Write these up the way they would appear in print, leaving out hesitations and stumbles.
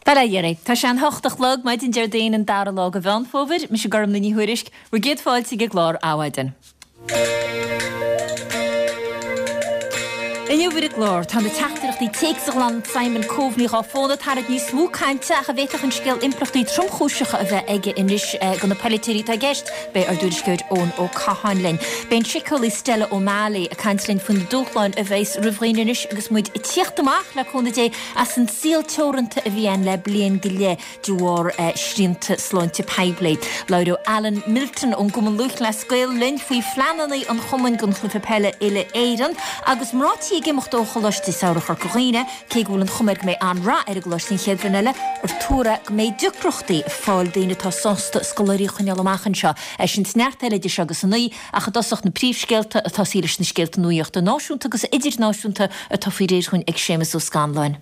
Bail ó Dhia oraibh. Tá sé an hocht a chlog, maidin Déardaoin an dara lá de Mheán Fómhair. Mise Gormlaith Ní Thuairisg, bhur gcéad fáilte ag an gclár Adhmhaidin. Inniu ar an gclár, tá na teachtaireachtaí téacs a ghlan Simon Coveney dhá fón ag tarraingt níos mó cainte ach an bhféadfadh an scéal impleachtaí tromchúiseacha a bheith aige anois do na polaiteoirí atá i gceist. Beidh ár dtuairisceoir Eoin Ó Catháin linn. Beidh an síceolaí Stella O'Malley ag caint linn faoi na dúshláin a bheas roimh dhaoine anois agus muid ag tíocht amach, le cúnamh Dé, as an saol teoranta a bhí ann le bliain go leith de bharr srianta sláinte poiblí. Labhróidh Alan Milton ón gCumann Lúthchleas Gael linn faoi phleananna an chumainn don chluiche peile uile-Éireann agus mná tí ag imeacht ó Choláiste Samhraidh Chorca Dhuibhne, cé go bhfuil an chuma air go mbeidh an-rath ar an gcoláiste an chéad bhliain eile, ar tuar é go mbeidh deacrachtaí fáil daoine atá sásta scoláirí a choinneáil amach anseo. É sin is neart eile idir seo agus a naoi. Ach i dtosach na príomhscéalta ag tosaí leis na scéalta nuaíochta náisiúnta agus idirnáisiúnta atá faoi réir dhúinn ag Séamus Ó Scanláin.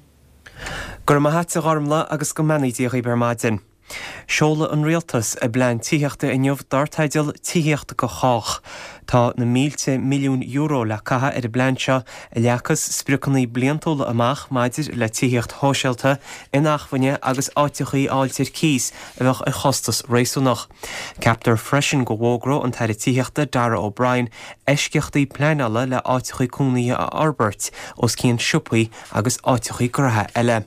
Go raibh maith a't a Ghormlaith agus go mbeannaí Dia dhaoibh ar maidin. Seolfaidh an Rialtas a bplean tithíochta inniu dar teideal 'Tithíocht do Chách'. Tá na mílte milliún euro le caitheamh ar an bplean seo a leagfas spriocanna bliantúla amach maidir le tithíocht shóisialta, inacmhainne agus áiteachaí a fháilt ar cíos a bheadh ar chostas réasúnach. Ceaptar freisin go bhfógróidh an tAire Tithíochta Darragh O'Brien eisceachtaí pleanála le áiteachaí cónaithe a fhorbairt os cionn siopaí agus áiteachaí gnoithe eile.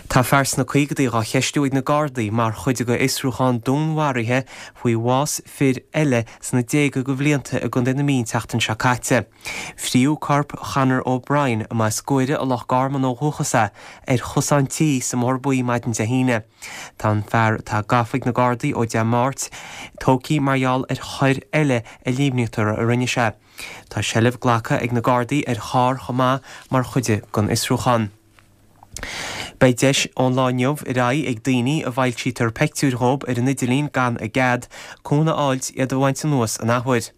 Tá fear sna caogadaí dhá cheistiú ag na Gardaí mar chuid de fhiosrúchán dúnmharaithe faoi bhás fir eile sna déaga de bhlianta i gContae na Mí an tseachtain seo caite. Fríodh corp Chonor O'Brien, a mba as Guaire i Loch Garman ó dhúchas é, ar chosán tí sa mBóthar Buí maidin Dé hAoine. Tá an fear atá gafa ag na Gardaí ó Dé Máirt tógtha mar gheall ar choir eile a líomhnaítear a rinne sé. Tá seilbh glactha ag na Gardaí ar charr chomh maith mar chuid den fhiosrúchán. Beidh deis ón lá inniu ar aghaidh ag daoine a bhfoilsítear peictiúir dhóibh ar an idirlíon gan a gcead, cúnamh a fháilt iad a bhaint anuas an athuair.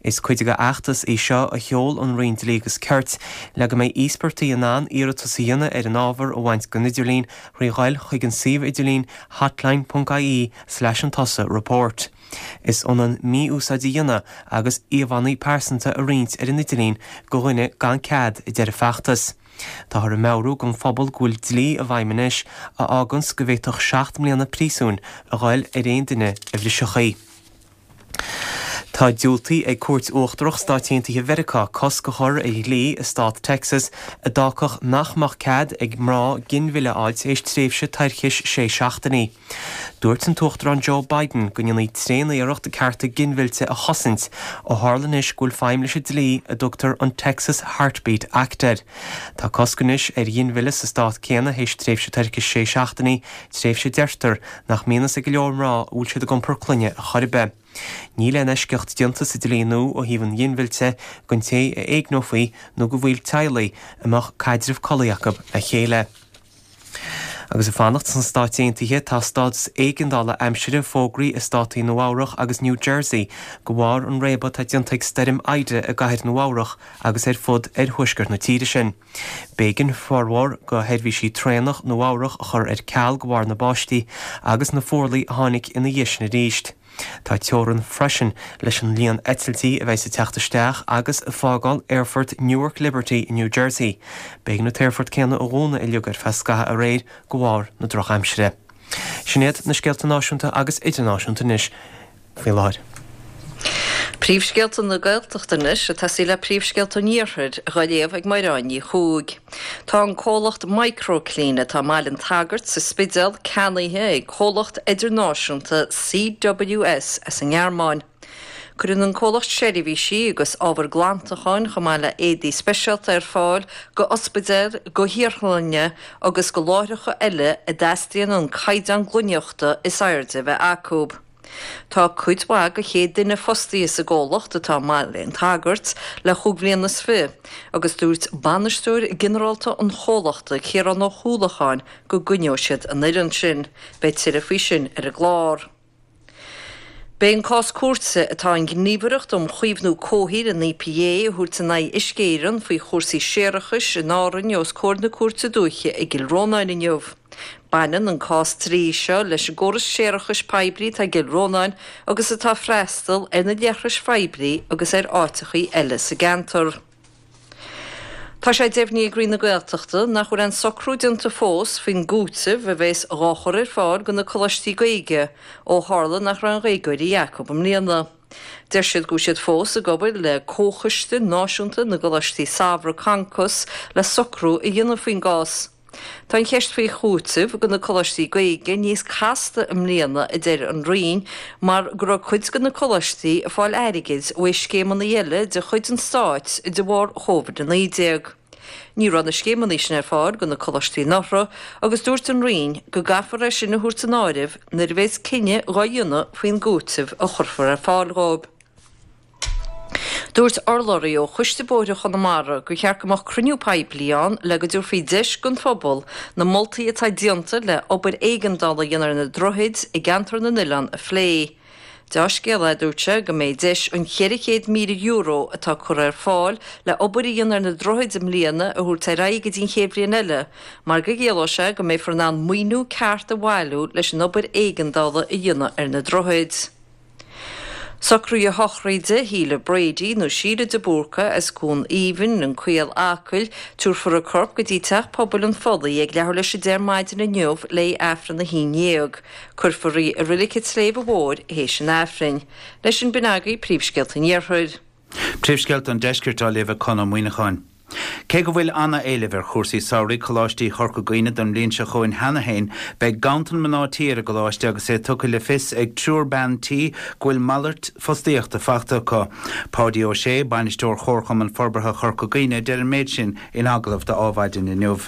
Is cuid de fheachtas í seo a sheol an Roinn Dlí agus Cirt le go mbeidh íospartaigh in ann iarratas a dhéanamh ar an ábhar a bhaint den idirlíon thrí ghoil chuig an suíomh idirlín hotline ponc ie slash an tusa report. Is ionann mí-úsáid a dhéanamh agus íomhánna pearsanta a roinnt ar an idirlíon go dhuine gan cead, a deir an feachtas. Táthar ag meabhrú don phobal go bhfuil dlí i bhfeidhm anois a fháganns go bhféadfadh 7 mbliana príosúin a ghoil ar aon duine a bhrisfeadh í. Tá diúltaithe ag Cúirt Uachtarach Stáit Aontaithe Mheiriceá cosc a chur ar dhlí i stát Texas a d'fhágfadh nach mbeadh cead ag mná ginmhilleadh a fháil tar éis tréimhse toirchis sé seachtainí. Dúirt an tUachtarán Joe Biden go ndéanfaí tréaniarracht cearta ginmhillte a chosaint ó tharla anois go bhfuil feidhm leis an dlí a dtugtar an Texas Heartbeat Act air. Tá cosc anois ar ghinmhilleadh sa stát céanna théis tréimhse toirchis sé seachtainí, tréimhse a deirtear nach mbíonn fhios ag go leor mná a bhfuil siad ag iompar clainne ar chor ar bith. Níl aon eisceacht déanta sa dlí nua ó thaobh an ghinmhillte don té a éigneofaí nó do bhaill teaghlaigh a mbeadh caidreamh collaí acu le chéile. Agus ag fanacht sna Stáit Aontaithe, tá stádas éigeandála aimsire fógraithe i státaí Nua-Eabhrach agus New Jersey de bharr an réabadh atá déanta ag Stoirm Ida i gcathair Nua-Eabhrach agus ar fud oirthuaisceart na tíre sin. B'éigean formhór de sheirbhísí traenach Nua-Eabhrach a chur ar ceal de bharr na báistí agus na fuarlaigh a tháinig ina dhiaidh sin arís. Tá teorann freisin leis an líon eitiltí a bheidh ag teacht isteach agus ag fágáil aerfort Newark Liberty i New Jersey. B'éigean an t-aerfort céanna a dhúnadh uilig ar feadh scaithimh aréir de bharr na drochaimsire. Sin iad na scéalta náisiúnta agus idirnáisiúnta anois. faoi láthair. Príomhscéalta na Gaeltachta anois, ag tosaí le príomhscéalta an Iarthair, dhá léamh ag Mairéad Ní Chuaig. Tá an comhlacht MicroClean atá i mBaile an tSagairt sa Spidéal ceannaithe ag comhlacht idirnáisiúnta CWS as an nGearmáin. Cuireann an comhlacht seirbhísí agus ábhar glantacháin chomh maith le éadaí speisialta ar fáil go ospidéil, go hiarthlanna agus go láithreacha eile a dteastaíonn an caighdeán glaineachta is airde a bheith acu. Tá cuid mhaith de chéad duine fostaithe sa gcomhlacht atá i mBaile an tSagairt le chúig bhliana is fiche agus dúirt bainisteoir ginearálta an chomhlachta, Ciarán Ó hUallacháin, go gcoinneoidh siad an fhoireann sin. Beidh tuilleadh faoi sin ar an gclár. Beidh an cás cúirte atá an Ghníomhaireacht um Chaomhnú Comhshaoil, an EPA, a thabhairt in aghaidh Uisce Éireann faoi chúrsaí séarachais in Árainn os comhair na Cúirte Dúiche i gCill Rónáin inniu. Baineann an cás dlí seo leis an gcóras séarachais poiblí atá i gCill Rónáin agus atá ag freastal ar na leithris phoiblí agus ar áiteachaí eile sa gceantar. Tá sé deimhnithe ag Roinn na Gaeltachta nach bhfuil aon socrú déanta fós faoin gcúiteamh a bheas dhá chur ar fáil do na coláistí Gaeilge ó tharla nach raibh aon Ghaeilgeoirí acu i mbliana. Deir siad go bhfuil siad fós ag obair le Comhchoiste Náisiúnta na gColáistí Samhraidh, Concos, le socrú a dhéanamh faoin gcás. Tá an cheist faoi chúiteamh do na coláistí Gaeilge níos casta i mbliana, a deir an Roinn, mar go raibh cuid de na coláistí ag fáil airgid uaidh scéimeanna eile de chuid an stáit de bharr Covid-19. Ní raibh na scéimeanna sin ar fáil do na coláistí anuraidh agus dúirt an Roinn go gcaithfear é sin a thabhairt san áireamh nuair a bheas cinneadh dhá dhéanamh faoin gcúiteamh a chuirfear ar fáil dhóibh. Dúirt urlabhraí ó Choiste Bóithre Chonamara gur cheart go mbeadh cruinniú poiblí ann le go dtabharfaí deis don phobal na moltaí atá déanta le obair éigeandála a dhéanamh ar na droichid i gceantar na n-oileán a phlé. Deá-scéal é, a dúirt sé, go mbeidh deis an €400,000 atá curtha ar fáil le obair a dhéanamh ar na droichid i mbliana a thabhairt ar aghaidh go dtí an chéad bhliain eile mar go gciallóidh sé go mbeifear in ann maoiniú ceart a bhailiú leis an obair éigeandála a dhéanamh ar na droichid. Socruithe sochraide Shíle Brady, nó Síle de Búrca, as Cuan Aoibhinn, An Caol, Acaill, tabharfar a corp go dtí Teach Pobail an Phollaigh ag leathuair leis 10 ar maidin inniu le Aifreann 11. Cuirfear í i Reilig an tSléibhe Mhóir théis an Aifrinn. Leis sin b'in agaibh príomhscéalta an Iarthair. Príomhscéalta an Deiscirt á léamh ag Conn Ó Muíneacháin. Cé go bhfuil ana-éileamh ar chúrsaí samhraidh Choláistí Chorca Dhuibhne don mbliain seo chugainn cheana féin, beidh ganntan mná tí ar an gcoláiste agus é tugtha le fios ag triúr bean tí go bhfuil malairt fostaíochta faighte acu. Páidí Ó Sé, Bainisteoir Chomharchumann Forbartha Chorca Dhuibhne a deir an méid sin in agallamh do Adhmhaidin inniu.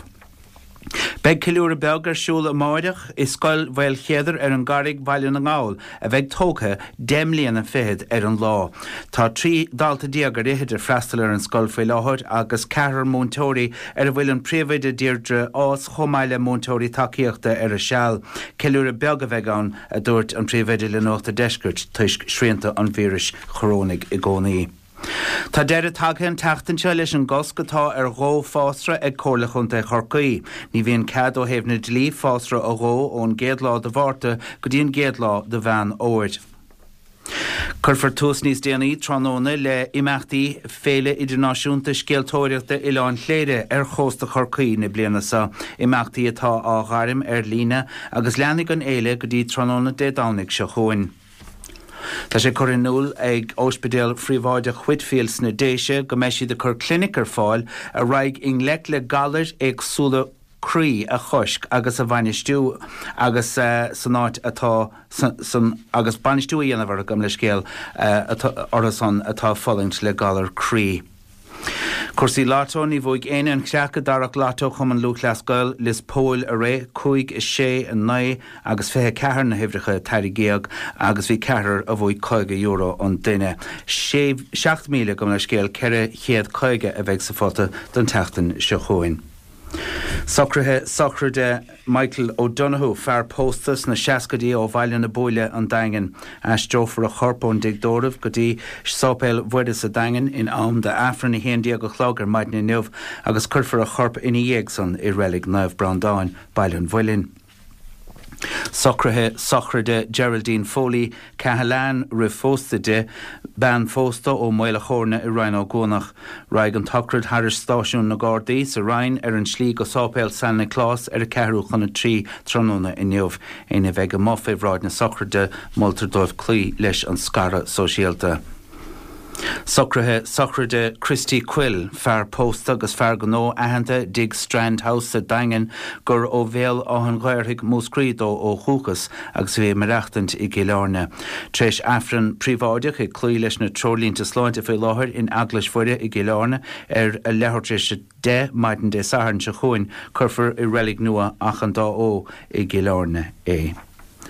Beidh ceiliúradh beag ar siúl amáireach i Scoil Mhaolchéadair ar an gCarraig, Baile na nGall, a bheidh tógtha 10 mbliana fichead ar an lá. Tá 13 dalta ar fhichid ag freastal ar an scoil faoi láthair agus ceathrar múinteoirí ar a bhfuil an príomhoide Deirdre Ághas chomh maith le múinteoirí tacaíochta ar a seal. Ceiliúradh beag a bheidh ann, a dúirt an príomhoide le Nuacht an Deiscirt, toisc srianta an víris chorónaigh i gcónaí. Tá deireadh tagtha an tseachtain seo leis an gcosc atá ar dhó fásra ag Comhairle Chontae Chorcaí. Ní bhíonn cead ó thaobh na dlí fásra a dhó ón gcéad lá de Mhárta go dtí an gcéad lá de Mheán Fhómhair. Cuirfear tús níos déanaí tráthnóna le imeachtaí Féile Idirnáisiúnta Scéaltóireachta Oileán Chléire ar chósta Chorcaí na bliana seo, imeachtaí atá á ghairm ar líne agus leanfaidh an fhéile go dtí tráthnóna Dé Domhnaigh seo chugainn. Tá sé curtha in iúl ag Ospidéal Phríobháideach Whitefield sna Déise go mbeidh siad ag cur clinic ar fáil a raghaidh i ngleic le galair éagsúla croí a chosc agus a bhainistiú agus san áit atá san agus bainistiú a dhéanamh orthu gabh mo leithscéal orthu san atá ag fulaingt le galar croí. Cúrsaí Lotto, Ní bhuaigh éinne an chreach i dtarrac Lotto Chumann Lúthchleas Gael, Lios Póil aréir, 5, 6, 9 agus 24 na huimhreacha a tarraingíodh agus bhí ceathrar a bhuaigh €50 an duine. 7,000, gabh mo leithscéal, 450 a bheidh sa phota don tseachtain seo chugainn. Socruithe sochraide Michael O'Donoghue, fear pósta sna seascaidí ó Bhaile na Buaile, An Daingean. Aistreofar a chorp ón dTigh Tórraimh go dtí Sáipéal Mhuire sa Daingean in am d'Aifreann 11 a chlog ar maidin inniu agus cuirfear a chorp ina dhiaidh san i Reilig Naomh Breandán, Baile an Mhuilinn. Socruithe sochraide Geraldine Foley, Cahalane, roimh phósta di, bean phósta ó Maol a' Chóirne i Rinn Ó gCuanach. Raghaidh an tsochraid thairis Stáisiún na Gardaí sa Rinn ar an tslí go Sáipéal San Nioclás ar a ceathrú chun a trí tráthnóna inniu. Éinne a bheidh amuigh fé bhráid na sochraide, moltar dóibh cloí leis an scaradh sóisialta. Socruithe sochraide Christy Quill, fear pósta agus fear gnó aitheanta dtigh Strand House sa Daingean gur ó Bhéal Átha'n Ghaorthaidh, Múscraí dó ó dhúchas agus a bhí ag maireachtaint i gCill Airne. Tar éis Aifreann príobháideach ag cloí leis na treoirlínte sláinte faoi láthair in Eaglais Mhuire i gCill Airne ar a leathuair tar éis a 10 maidin Dé Sathairn seo chugainn cuirfear i Reilig Nua Achadh an Dá Fhó i gCill Airne é.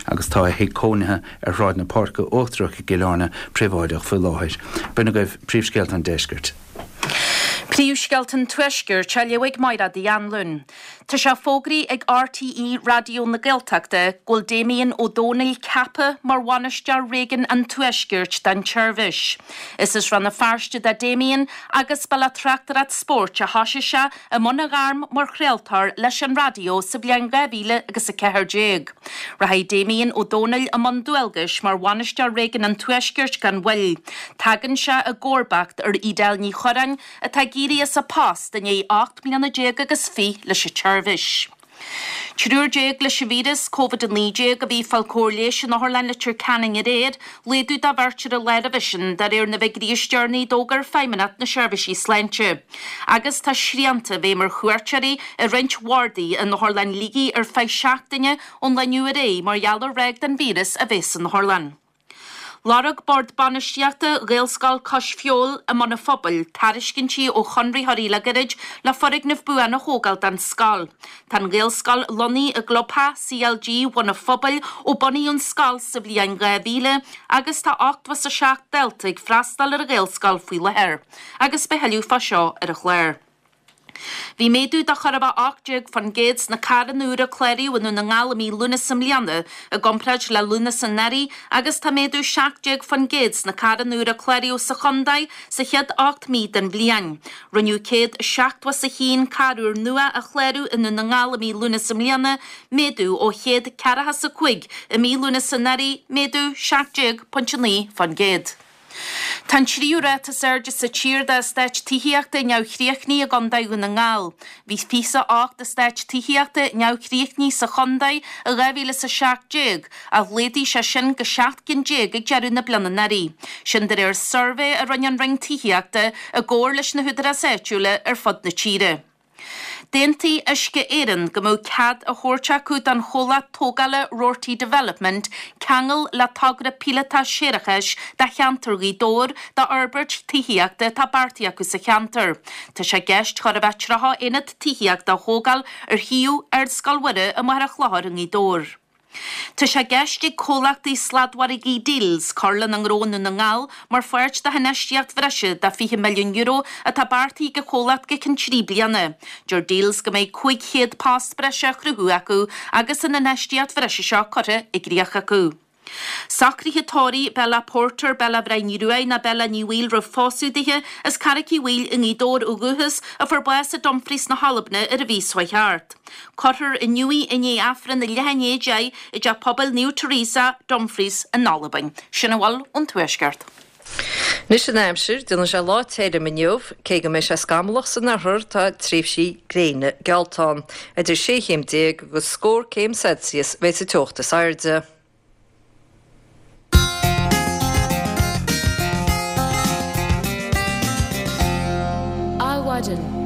agus tá a thigh cónaithe ar Shráid na Páirce Uachtarach i gCill Airne príobháideach faoi láthair. B'in agaibh príomhscéalta an deiscirt. Príomhscéalta an Tuaiscirt á léamh ag Mairéad Uí Anluain. Tá sé fógraithe ag RTÉ Raidió na Gaeltachta go bhfuil Damien Ó Dónaill ceaptha mar Bhainisteoir Réigiún an Tuaiscirt don tseirbhís. Is as Rann na Feirste do Damien agus ba le tráchtaireacht spóirt a thoisigh sé i mbun a ghairm mar chraoltóir leis an raidió sa bhliain 2000 agus 14. Rachaidh Damien Ó Dónaill i mbun dualgais mar Bhainisteoir Réigiún an Tuaiscirt gan mhoill. Tagann sé i gcomharbacht ar Edel Ní Chorráin atá ag. éirí as a post i ndiaidh 18 mbliana agus fich leis an tseirbhís. Triúr déag leis an víreas Covid-19 a bhí ag fáil cóir leighis in Otharlann Leitir Ceanainn aréir, laghdú de bheirt ar an lá roimhe sin, de réir na bhfigiúirí is deireanaí a d'fhógair Feidhmeannacht na Seirbhísí Sláinte. Agus tá srianta i bhfeidhm ar chuairteoirí i roinnt bhardaí in Otharlann Shligigh ar feadh seachtaine ón lá inniu ar aghaidh mar gheall ar ráig den víreas a bheith san otharlann. Lorg Bord Bainistíochta Ghaelscoil Cois Feabhail i mBun an Phobail tairiscintí ó chonraitheoirí le gairid le foirgneamh buan a thógáil don scoil. Tá an Ghaelscoil lonnaithe i gclubtheach CLG Bhun an Phobail ó bunaíodh an scoil sa bhliain 2000 agus tá 87 dalta ag freastal ar an Ghaelscoil faoi láthair agus beidh tuilleadh fá seo ar an chlár. Bhí méadú de chóir a bheith 18% sna carranna úra a cláraíodh i nDún na nGall i mí Lúnasa i mbliana i gcomparáid le Lúnasa anuraidh agus tá méadú 17% sna carranna úra a cláraíodh sa chontae sa chéad 8 mí den bhliain. Rinneadh 171 carr úr nua a chlárú i nDún na nGall i mí Lúnasa i mbliana, méadú ó 145 i mí Lúnasa anuraidh, méadú 17.9%. Tá an tríú ráta is airde sa tír d'eastáit tithíochta neamhchríochnaithe i gContae Dhún na nGall. Bhí 28 eastát tithíochta neamhchríochnaithe sa chontae i 2017, ach laghdaigh sé sin go 17 gcinn ag deireadh na bliana anuraidh. Sin de réir suirbhé a rinne an Roinn Tithíochta i gcomhar leis na húdaráis áitiúla ar fud na tíre. D'aontaigh Uisce Éireann go mbeadh cead á thabhairt acu don chomhlacht tógála Roarty Development ceangal le togra píolótach séarachais do cheantar Ghaoth Dobhair d'fhorbairt tithíochta atá beartaithe acu sa cheantar. Tá sé i gceist chóir a bheith 30 aonad tithíochta a thógáil ar shuíomh Ardscoil Mhuire i Machaire Chlochair i ngaoth Dobhair. Tá sé i gceist ag comhlachtaí sladmhargaidh Dealz cur lena ngnó i nDún na nGall mar pháirt de hinfheistíocht bhreise de €20 milliún atá beartaithe ag an chomhlacht go ceann 3 bliana. Deir Dealz go mbeidh 500 post breise á chruthú acu agus an infheistíocht bhreise seo curtha i gcrích acu. Socruithe tórraimh Bella Porter, Bella Bhrian Ruaidh ná Bella Ní Bhaoill roimh phósadh dithe, as Carraic Uí Bhaoill i nGaoth Dobhair ó dhúchas, a fuair bás i Dumfries na hAlbna ar an mhí seo chuaigh thart. Cuirfear inniu í i ndiaidh Aifreann a leath i ndiaidh 10 i dTeach Pobail Naomh Teresa, Dumfries in Albain. Sin a bhfuil ón Tuaisceart. Anois an aimsir, déanfaidh sé lá tirim inniu, cé go mbeidh sé scamallach san oirthear, tá tréimhsí gréine geallta ann. Idir sé chéim déag agus scór céim Celsius a bheidh sa teocht is airde. Adhmhaidin.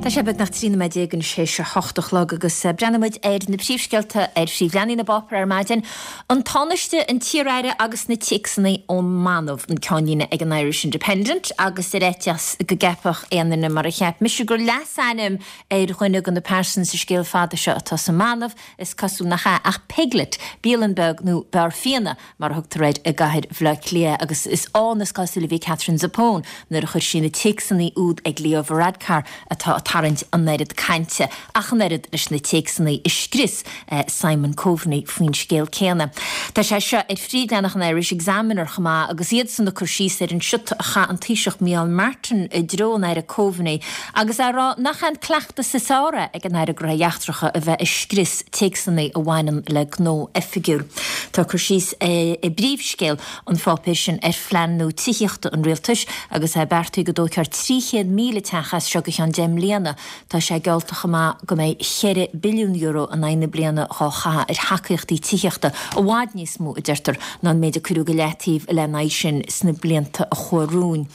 Tá sé beagnach 13 nóiméad anois théis a hocht a chlog agus breathnóidh muid ar na príomhscéalta ar phríomhleathanaigh na bpáipéar ar maidin. An Tánaiste, an t-iar-aire agus na téacsanna ón mBanbh, an ceannlíne ag an Irish Independent agus ar fhaitíos go gceapfadh aon duine mar a cheap mise gur leasainm ar dhuine de na pearsana sa scéal fada seo atá sa mBanbh, Is cosúil nach ea, ach Piglet, bialann beag nó beár fíona, mar a thugtar air i gcathair Bhaile Átha Cliath, agus is ann is cosúil a bhí Katherine Zappone nuair a chuir sí na téacsanna úd ag Leo Varadkar atá ag tarraingt an oiread cainte, ach an oiread leis na téacsanna a scrios Simon Coveney faoin scéal céanna. Tá sé seo ar phríomhleathanach an Irish Examiner chomh maith agus iadsan ag cur síos ar an siota a chaith an Taoiseach Micheál Martin i dtreo an Aire Coveney agus á rá nach é an cleachtas is fearr é ag an Aire Gnóthaí Eachtracha a bheith ag scrios téacsanna a bhaineann le gnó oifigiúil. Tá cur síos i bpríomhscéal an pháipéir sin ar phlean nua tithíochta an Rialtais agus é beartaithe go dtógfar 300,000 teach as seo go ceann 10 mbliana. Tá sé geallta chomh maith go mbeidh €4 billiún in aghaidh na bliana dhá chaitheamh ar thacaíochtaí tithíochta, i bhfad níos mó, a deirtear, ná an méid a cuireadh go leataobh lena aghaidh sin sna blianta a chuaigh romhainn.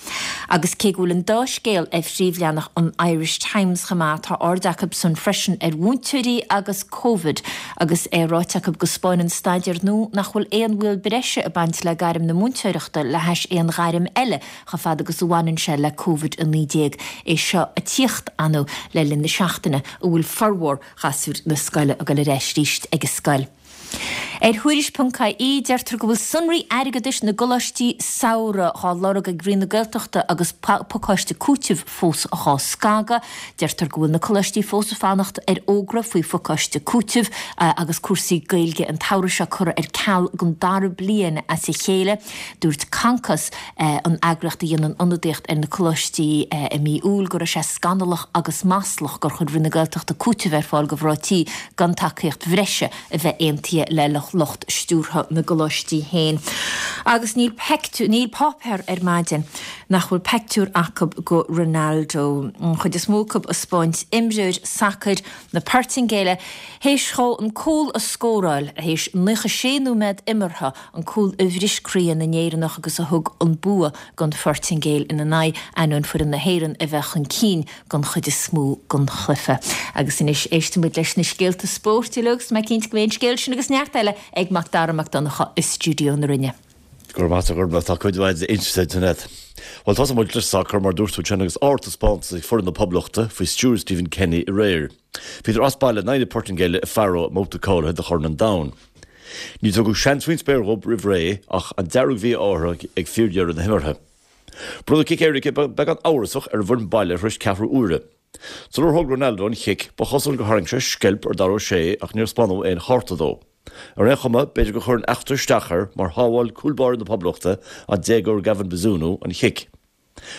Agus cé go bhfuil an dá scéal ar phríomhleathanach an Irish Times chomh maith, tá aird acu san freisin ar mhúinteoirí agus Covid agus é ráite acu go 'spáineann staidéar nua nach bhfuil aon bhaol breise ag baint le gairm na múinteoireachta le hais aon ghairm eile chomh fada agus a bhaineann sé le Covid-19. É seo ag tíocht anu le linn na seachtaine a bhfuil formhór ghasúir na scoile ag dul ar ais arís ag an scoil. Ar Thuairisc.ie deirtear go bhfuil sonraí airgeadais na gcoláistí samhraidh dhá lorg ag Roinn na Gaeltachta agus pacáiste cúitimh fós dhá scagadh. Deirtear go bhfuil na coláistí fós ag fanacht ar fhógra faoi phacáiste cúitimh agus cúrsaí Gaeilge an tsamhraidh seo curtha ar ceal don dara bliain as a chéile. Dúirt Concos, an eagraíocht a dhéanann ionadaíocht ar na coláistí i mí Iúil go raibh sé scannalach agus maslach gur chuir Roinn na Gaeltachta cúiteamh ar fáil do mhná tí gan tacaíocht bhreise a bheith aontaithe le lucht. ach lucht stiúrtha na gcoláistí féin. Agus níl peictiúr, níl páipéar ar maidin nach bhfuil peictiúr acu go Ronaldo, an chuid is mó acu ag 'spáint imreoir sacair na Portaingéile théis dhó an cúl a scóráil théis 96 nóiméad imeartha, an cúl a bhris croíthe na nÉireannach agus a thug an bua don Phortaingéil ina n-aghaidh, ainneoin foireann na hÉireann a bheith chun cinn don chuid is mó den chluiche. Agus anois éistfidh muid leis na scéalta spóirt uilig agus tá mé cinnte go mbeidh an scéal sin agus neart eile ag Mac Dara Mac Donncha i stiúideo na Rinne. Go raibh maith agat a Ghormfhlaith, tá cuid mhaith inste agat. Bhuel, tosóidh muid le sacar, mar a dúirt tú ansin, agus ardtaispeántas ag foireann na Poblachta faoi stiúir Stephen Kenny aréir. Bhíodar as baile in aghaidh na Portaingéile i Faro i mbabhta cáilithe do Chorn an Domhain. Níor tugadh seans faoin spéir dhóibh roimh ré ach an dearg-mhí-ádh orthu ag fíordheireadh na himeartha. Bronnadh cic éirice beagán amhrasach ar an bhfoireann baile tar éis ceathrú uaire. Sular thóg Ronaldo an chic, ba chosúil gur tharraing sé sceilp ar Dara O'Shea ach níor spáineadh aon chárta dó. Ar aon chuma, b'fhéidir gur chuir an eachtra isteach air mar shábháil cúl báire na Poblachta, an déagóir Gavin Bazunu, an chic.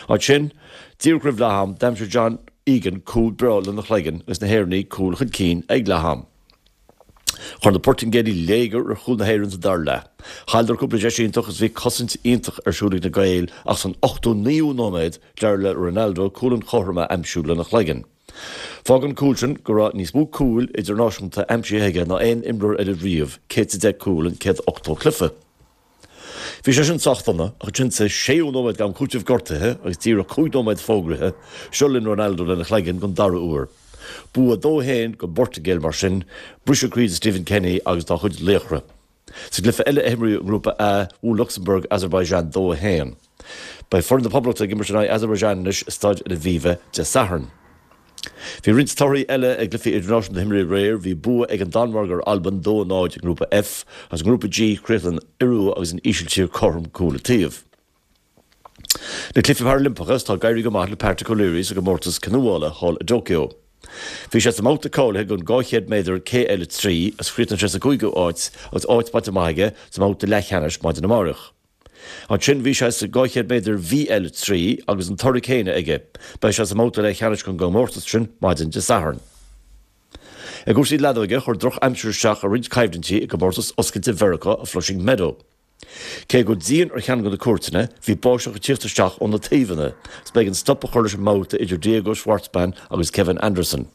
Ansin, díreach roimh leath-am, d'aimsigh John Egan cúl breá lena chloigeann agus na hÉireannaigh cúl chun cinn ag leath-am. Chuir na Portaingéalaigh léigear ar chúl na hÉireann sa dara leath. Chailleadar cúpla deis iontach agus bhí cosaint iontach ar siúl ag na Gaeil ach san 89ú nóiméad d'éirigh le Ronaldo cúl an chothroim a aimsiú lena chloigeann. Fágann an cúl sin go raibh níos mó cúil idirnáisiúnta aimsithe aige ná aon imreoir eile riamh, 110 cúl in 180 cluiche. Bhí sé sin sách dona, ach ansin sa séú nóiméad d'am cúitimh gortaithe agus díreach 5 nóiméad fógraithe, seo linn Ronaldo lena chloigeann don dara huair. Bua 2-1 don bPortaingéil mar sin, briseadh croí do Stephen Kenny agus dá chuid laochra. Sa gcluiche eile a himríodh i nGrúpa A, bhuail Lucsamburg Azerbaijan 2-1. Beidh foireann na Poblachta ag imirt in aghaidh Azerbaijan anois i Staid Aviva Dé Sathairn. Bhí roinnt torthaí eile i gcluichí idirnáisiúnta a himríodh aréir. Bhí bua ag an Danmhairg ar Albain 2-0 i nGrúpa F agus i nGrúpa G chríochnaigh an Iorua agus an Ísiltír cothrom cúl an taobh. Na Cluichí Parailimpeacha, tá ag éirí go maith le Patrick O'Leary sa gcomórtas canúála thall i dTokyo. Bhí sé sa mbabhta cáilithe don 200 méadar KL3 agus chríochnaigh sé sa gcúigiú háit agus áit bainte amach aige sa mbabhta leathcheannais maidin amárach. Ansin bhí sé sa 200 méadar VL3 agus an toradh céanna aige. Beidh sé sa mbabhta leathcheannais don gcomórtas sin maidin Dé Sathairn. I gcúrsaí leadóige, chuir drochaimsir isteach ar roinnt coimhlintí i gcomórtas oscailte Mheiriceá i Flushing Meadow. Cé go raibh díon ar cheann de na cúirteanna, bhí báisteach ag tíocht isteach ó na taobhanna agus b'éigean stop a chur leis an mbabhta idir Diego Schwartzman agus Kevin Anderson.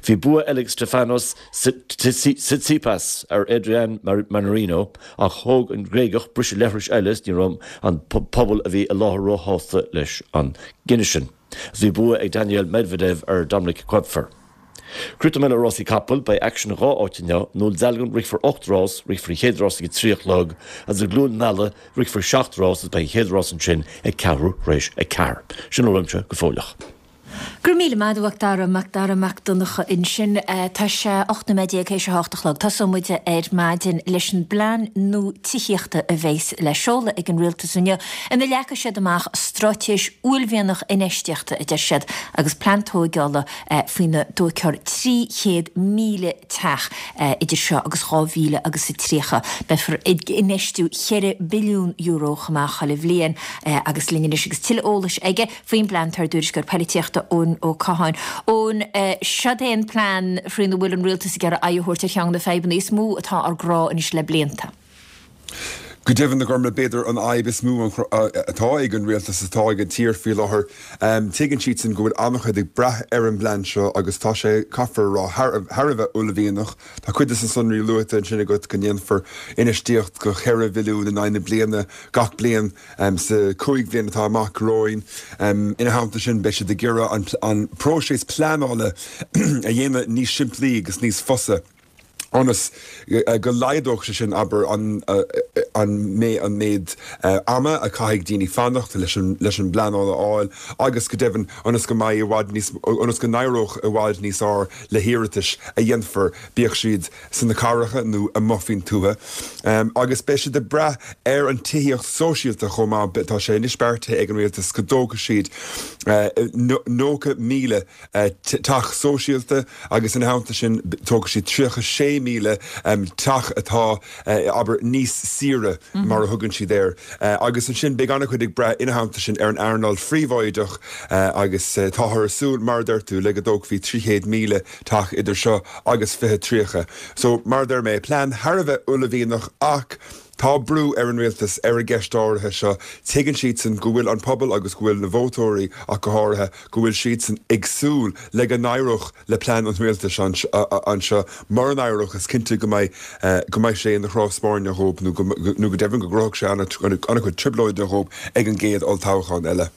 Bhí bua eile ag Stefanos Tsitsipas ar Adrian Mannarino ach thóg an Gréagach briseadh leithris eile is ní raibh an pobal a bhí i láthair róshásta leis an gcinneadh sin. Bhí bua ag Daniil Medvedev ar Dominik Koepfer. Críochnóidh mé le rásaí capall, beidh aicsean i dhá áit inniu, i nDún Dealgan rithfear 8 rás, rithfear an chéad rás ag a 3 a chlog, agus i gCluain Meala rithfear 7 rás agus beidh an chéad rás ansin ag ceathrú tar éis a 4. Sin a bhfuil uaimse go fóilleach. Go raibh míle maith agat a Mhac Dara, Mac Dara Mac Donncha ansin. Tá sé 18 nóiméad théis a hocht a chlog. Tosóidh muid ar maidin leis an bplean nua tithíochta a bheas le seoladh ag an Rialtas inniu ina leagfaidh siad amach straitéis uaillmhianach infheistíochta, a deir siad, agus plean tóigeála faoina dtógfar 300,000 teach idir seo agus 2030. Beifear ag infheistiú €4 billiún chomh maith chuile bhliain agus linn anois agus tuilleadh eolais aige Faoin bplean tá ár dtuairisceoir poilitíochta Eoin Ó Catháin. Eoin, seod é an plean faoina bhfuil an rialtas ag iarraidh aghaidh a thabhairt ar cheann de na fadhbanna is mó atá ár gcrá anois le blianta. Go deimhin, a Ghormfhlaith, b'fhéidir an fhadhb is mó atá ag an rialtas, atá ag an tír faoi láthair. Tuigeann siadsan go bhfuil an-chuid ag brath ar an bplean seo agus tá sé, caithfear a rá, thar a bheith uaillmhianach. Tá cuid de na sonraí luaite ansin agat go ndéanfar infheistíocht de cheithre bhilliún in aghaidh na bliana gach bliain. Sa chúig bhliain atá amach romhainn, ina theannta sin, beidh siad ag iarraidh an próiseas pleanála a dhéanamh níos simplí agus níos fusa ionas go laghdódh sé sin, abair, an méid ama a chaithfidh daoine fanacht leis an bpleanáil a fháil agus, go deimhin, ionas go mbeidh i bhfad níos, ionas go n-éireodh i bhfad níos fearr le hiarratais a dhéanfar, bíodh siad sna cathracha nó amuigh faoin tuath. Agus beidh siad ag brath ar an tithíocht sóisialta chomh maith. Tá sé anois beartaithe ag an rialtas go dtógfaidh siad 90,000 teach sóisialta agus ina theannta sin tógfaidh siad 36,000 teach atá, abair, níos saoire. tíre mar a thugann siad air. Agus ansin beidh an-chuid ag brath ina theannta sin ar an earnáil phríobháideach agus táthar ag súil, mar a deir tú, le go dtógfaí 300,000 teach idir seo agus 2030. So, mar a deir mé, plean thar a bheith uaillmhianach ach tá brú ar an rialtas ar an gceist áirithe seo. Tuigeann siadsan go bhfuil an pobal agus go bhfuil na vótóirí ach go háirithe, go bhfuil siadsan ag súil le go n-éireodh le plean an rialtais anseo. Mura n-éireodh, is cinnte go mbeidh go mbeidh sé ina chrá spairne dhóibh nó go nó go deimhin go gcruthódh sé an-chuid trioblóide dhóibh ag an gcéad olltoghchán eile.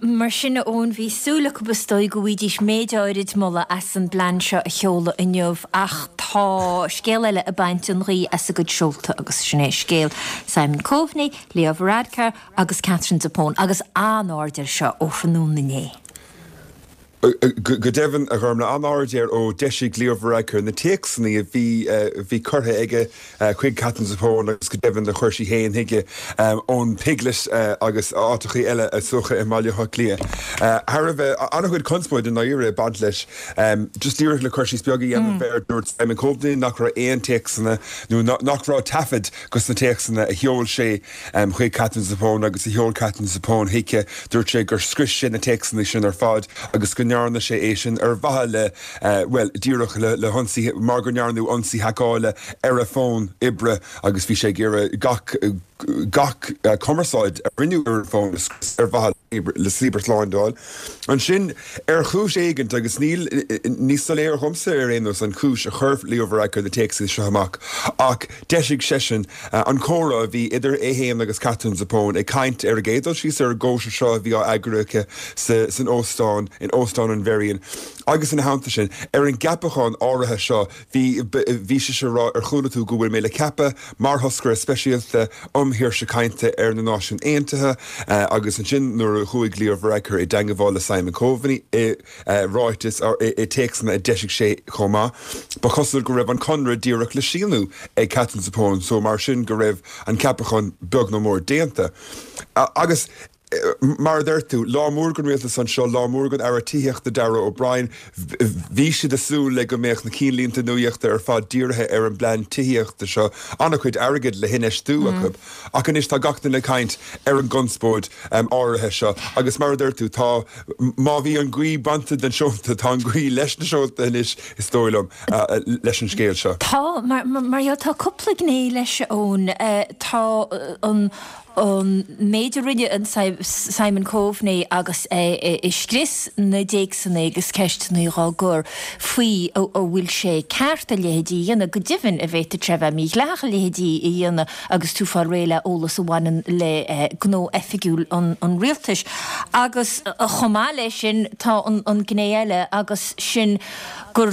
Mar sin, a Eoin, bhí súil acu is dóigh go bhfaighidís méid áirid moladh as an bplean seo a sheoladh inniu ach tá scéal eile ag baint an ghaoth as a gcuid seolta agus sin é scéal Simon Coveney, Leo Varadkar agus Catherine Zappone agus an-aird air seo ó thráthnóna inné. Go deimhin, a Ghormlaith, an-aird air ó d'eisigh Leo Varadkar na téacsanna a bhí a bhí curtha aige chuig Katherine Zappone agus go deimhin a chuir sí féin chuige ón Piglet agus áiteachaí eile is dócha i mBaile Átha Cliath. Thar a bheith, an-chuid conspóide i ndáiríre ag baint leis. Just díreach le cur síos beag a dhéanamh air, dúirt Simon Coveney nach raibh aon téacsanna nó nach raibh taifead dos na téacsanna a sheol sé chuig Katherine Zappone agus a sheol Katherine Zappone chuici. Dúirt sé gur scrios sé na téacsanna sin ar fad agus go ndearna sé é sin ar mhaithe le, bhuel, díreach le hionsaí, mar go ndearnadh ionsaí haiceála ar a fón oibre agus bhí sé ag iarraidh gach, gach cumarsáid a rinneadh ar an bhfón a scrios ar mhaithe le cibearshlándáil. Ansin, ar chúis éigint, agus níl, ní soiléir dhomsa ar aon nós an chúis a chuir Leo Varadkar na téacsanna seo amach, ach d'eisigh seisean an comhrá a bhí idir é féin agus Katherine Zappone ag caint ar an gcéad dul síos ar an gcóisir seo a bhí á eagrú aici san óstán, in Óstán an Mherrion, agus ina theannta sin, ar an gceapachán áirithe seo. Bhí, bhí sise ag rá, ar chuala tú go bhfuil mé le ceapadh mar thoscaire speisialta um shaoirse cainte ar na Náisiúin Aontaithe agus ansin nuair a chuaigh Leo Varadkar i dteangmháil le Simon Coveney i ráiteas, i téacsanna a d'eisigh sé chomh maith, ba chosúil go raibh an conradh díreach le síniú ag Katherine Zappone so mar sin go raibh an ceapachán beag nó mór déanta. Agus. Mar a deir tú, lá mór don rialtas anseo, lá mór don Aire Tithíochta Darragh O'Brien. Bhí siad ag súil le go mbeadh na cinnlínte nuachta ar fad dírithe ar an bplean tithíochta seo, an-chuid airgid le hinfheistiú acu. Ach anois tá gach duine ag caint ar an gconspóid áirithe seo agus mar a deir tú, tá, má bhí an ghaoth bainte den seolta, tá an ghaoth leis na seolta anois is dóigh liom, leis an scéal seo. Tá, mar gheall, tá cúpla gné leis, Eoin. Tá an. an méid a rinne an Simon Coveney agus é ag scrios na dtéacsanna agus ceisteanna dhá gcur faoi an bhfuil sé ceart a leithéidí a dhéanamh. Go deimhin, an bhféadfadh sé a bheith mídhleathach a leithéidí a dhéanamh agus tú fáil réidh le eolas a bhaineann le gnó oifigiúil an rialtais. Agus chomh maith leis sin tá an gné eile agus sin, gur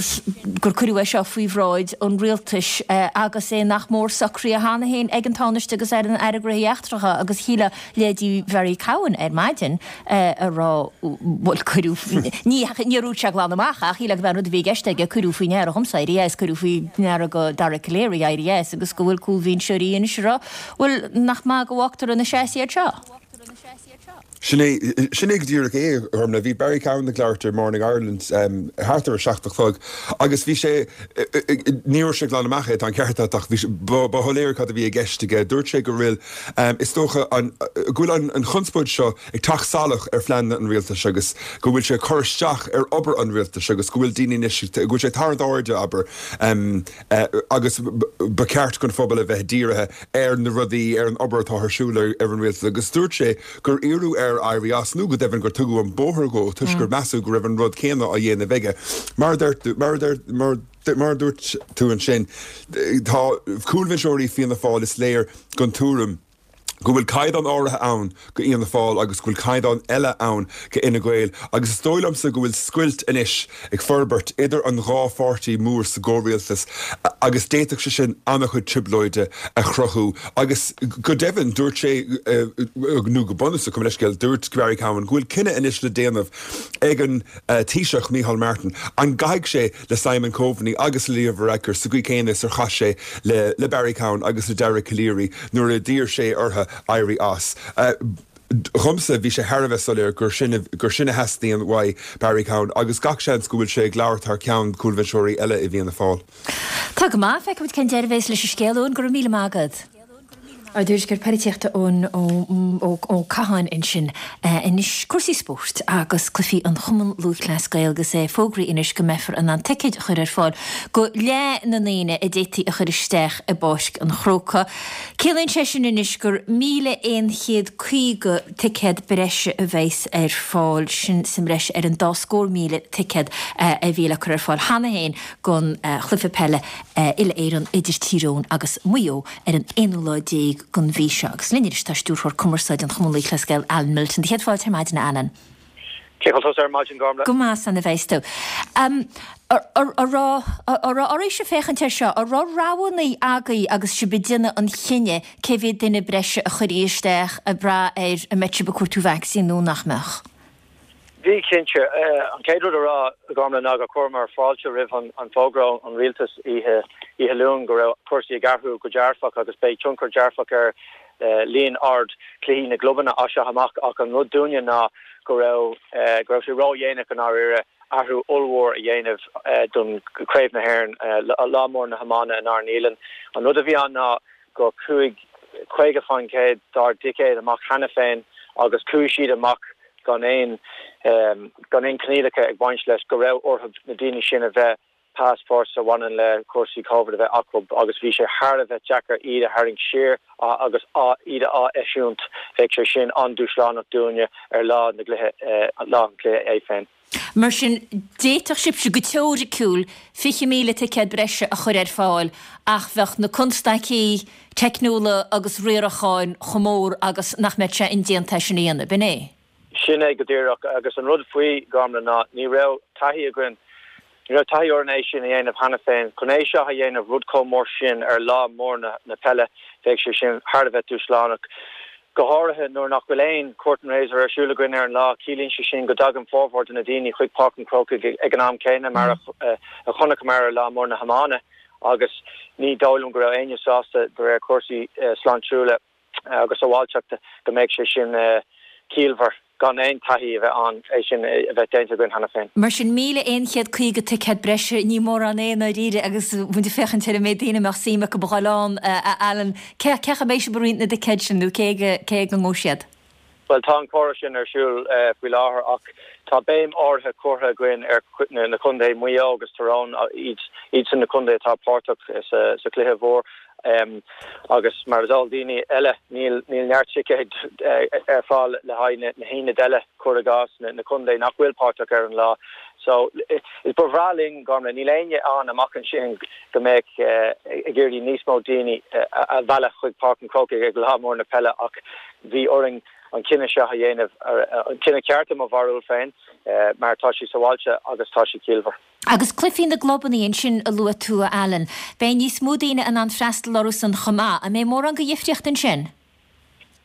gur cuireadh é seo faoi bhráid an rialtais agus é nach mór socraithe cheana féin ag an Tánaiste agus ag an Aire Gnóthaí Eachtracha agus shílfeá leithéidí Bharry Cowen ar maidin a rá bhuel cuireadh ní níor dhúirt sé glan amach ach shílfeá gurb é an rud a bhí i gceist aige cuireadh faoi ndeara dhomsa éirí as cuireadh faoi ndeara do Dara Calleary éirí as agus go bhfuil cúlbhinseoirí anois ag rá bhuel nach maith go bhfágtar ina seasamh iad seo. Sin é, sin é go díreach é, a Ghormlaith. Bhí Barry Cowen ag labhairt ar Morning Ireland thart ar a seacht a chlog agus bhí sé, ní dúirt sé glan amach é, tá an ceart agat, ach bhí sé, ba, ba shoiléir cad a bhí i gceist aige. Dúirt sé go bhfuil, is dócha, an, go bhfuil an, an chonspóid seo ag teacht salach ar phleananna an rialtais agus go bhfuil sé ag cur isteach ar obair an rialtais agus go bhfuil daoine anois, go bhfuil sé ag tarraingt airde, abair, agus ba cheart don phobal a bheith dírithe ar na rudaí, ar an obair atá ar siúl ar an rialtas agus dúirt sé gur iarradh air éirí as nó go deimhin gur tugadh an bóthar dhó toisc gur measadh go raibh an rud céanna á dhéanamh aige. Mar a deir, mar a deir, mar a dúirt tú ansin, tá cúlbhinseoirí Fianna Fáil is léir den tuairim go bhfuil caighdeán áirithe ann go Fhianna Fáil agus go bhfuil caighdeán eile ann go Fhine Gael agus is dóigh liomsa go bhfuil scoilt anois ag forbairt idir an dhá pháirtí mór sa gcomhrialtas agus d'fhéadfadh sé sin an-chuid trioblóide a chruthú agus go deimhin dúirt sé nó go bunúsach gabh mo leithscéal dúirt Barry Cowen go bhfuil cinneadh anois le déanamh ag an Taoiseach Micheál Martin an gcaithfidh sé le Simon Coveney agus le Leo Varadkar sa gcaoi céanna is ar chaith sé le Barry Cowen agus le Dara Calleary nuair a d'iarr sé orthu éirí as. Dhomsa, bhí sé thar a bheith soiléir gur sin gur sin a theastaíonn uaidh Barry Cowen agus gach seans go bhfuil sé ag labhairt thar ceann cúlbhinseoirí eile i bhFianna Fáil. Tá go maith, feicfimid cén deireadh a bhéas leis an scéal, Eoin, go raibh míle maith agat. Ár dtuairisceoir polaitíochta Eoin Ó Catháin ansin. Anois cúrsaí spóirt agus cluichí an Chumann Lúthchleas Gael agus é fógraithe anois go mbeifear in ann ticéid a chur ar fáil go leath na ndaoine a d'fhéadfaí a chur isteach i bPáirc an Chrócaigh. Ciallaíonn sé sin anois gur 1,150 ticéad breise a bheas ar fáil, sin sa mbreis ar an dá scór 1,000 ticéad a bhí le cur ar fáil cheana féin don chluiche peile uile-Éireann idir Tír Eoghain agus Maigh Eo. ar an aonú lá déag den mhí seo. Agus linn anois tá Stiúrthóir Cumarsáide an Chumann Lúthchleas Gael, Alan Milton. Do chéad fáilte ar maidin, a Alan. Cén chaoi a bhfuil tusa ar maidin, Gormlaith? Go maith, san a bheas tú. An raibh oraibhse féachaint air seo? An raibh roghanna agaibh agus sibh ag déanamh an chinnidh cé mhéad duine breise a chuirfí isteach ag brath ar an mbeadh sibh ag cuartú vacsaín nó nach mbeadh? Bhí, cinnte. An chéad rud a rá, a Ghormlaith, ná gur chuireamar fáilte roimh an bhfógra ón rialtas oíche Luain go raibh cúrsaí ag athrú go dearfach agus beidh tionchar dearfach ar líon ard cluichí na gclubanna as seo amach ach an rud dúinne ná go raibh go raibh sé ródhéanach i ndáiríre athrú ollmhór a dhéanamh don Chraobh na hÉireann, lá mór na hiomána inár ndialann. An rud a bhí ann ná gur chuaigh 50% dár dticéid amach cheana féin agus chuaigh siad amach gan aon gan aon coinníollacha ag baint leis, go raibh orthu na daoine sin a bheith passports a bhaineann le cúrsaí Covid a bheith acu agus bhí sé thar a bheith deacair iad a tharraingt siar agus iad a ath-eisiúint. Bheadh sé sin an-dúshlánach dúinne ar lá na gcluiche, lá an chluiche é féin. Mar sin, d'fhéadfadh sibhse, go teoiriciúil, 20,000 ticéad breise a chur ar fáil ach bheadh na constaicí teicniúla agus riaracháin chomh mór agus nach mbeadh sé indéanta é sin a dhéanamh, b'in é? Sin é go díreach. Agus an rud faoi, Gormlaith, ná ní raibh taithí againn, ní raibh taithí orainn é sin a dhéanamh cheana féin. Chun é seo a dhéanamh, rud chomh mór sin ar lá mór na peile, bheadh sé sin thar a bheith dúshlánach. Go háirithe nuair nach bhfuil aon curtain raiser ar siúl againn ar an lá, ciallaíonn sé sin go dtagann formhór de na daoine chuig Páirc an Chrócaigh ag an am céanna mar a chonaiceamar ar lá mór na hiomána agus ní dóigh liom go raibh éinne sásta de réir cúrsaí sláintiúla agus sábháilteachta go mbeadh sé sin ciallmhar. gan aon taithí a bheith ann é sin a bheith déanta againn cheana féin. Mar sin, 1,150 ticéad breise, ní mórán é i ndáiríre agus muid ag féachaint ar an méid daoine a mbeadh suim acu a dhul ann, a Alan. Cé acu a mbeidh sibh ag roinnt na dticéad sin nó cé ag a ngabhfaidh siad? Bhuel, tá an comhrá sin ar siúl faoi láthair ach tá béim áirithe curtha againn ar na contaetha, Maigh Eo agus Tyrone, iadsan na contaetha atá páirteach sa chluiche mhór. Agus mar is eol daoine eile, níl neart ticéad ar fáil le haghaidh na haonaid eile, cuir i gcás, na contae nach bhfuil páirteach ar an lá. So, is ba bhreá linn, Gormlaith, níl éinne ann amach ansin go mbeadh ag iarraidh níos mó daoine a mhealladh chuig Páirc an Chrócaigh ag lá mór na peile ach bhí orainn an cinneadh seo a dhéanamh, an cinneadh ceart i mo bharúil féin, mar tá sé sábháilte agus tá sé ciallmhar. Agus cluichí na gclubanna ansin a luaigh tú, a Alan. Beidh níos mó daoine in ann freastal orthu san chomh maith. An mbeidh mórán de dhifríocht ansin?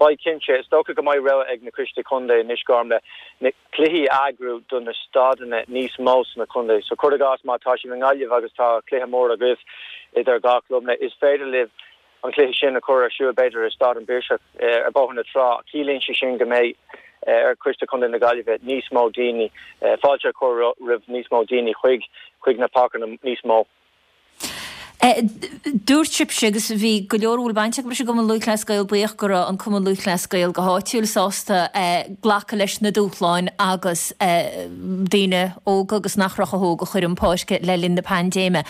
Beidh, cinnte. Is dócha go mbeidh rogha ag na coistí contae anois, Gormlaith, na cluichí a eagrú do na staideanna níos mó sna contae. So, cuir i gcás, má tá sibh i nGaillimh agus tá cluiche mór agaibh idir dhá chlub, is féidir libh an cluiche sin a chur ar siúl, b'fhéidir, i Staid an Phiarsaigh ar Bhóthar na Trá. Ciallaíonn sé sin go mbeidh ar Choiste Contae na Gaillimhe níos mó daoine, fáilte a chur roimh níos mó daoine chuig chuig na páirceanna níos mó. Dúirt sibhse, agus bhí go leor a bhfuil baint acu leis an gCumann Lúthchleas Gael buíoch go raibh an Cumann Lúthchleas Gael go háitiúil sásta glacadh leis na dúshláin agus daoine óga agus nach raibh chomh hóg a chur chun páirce le linn na paindéime.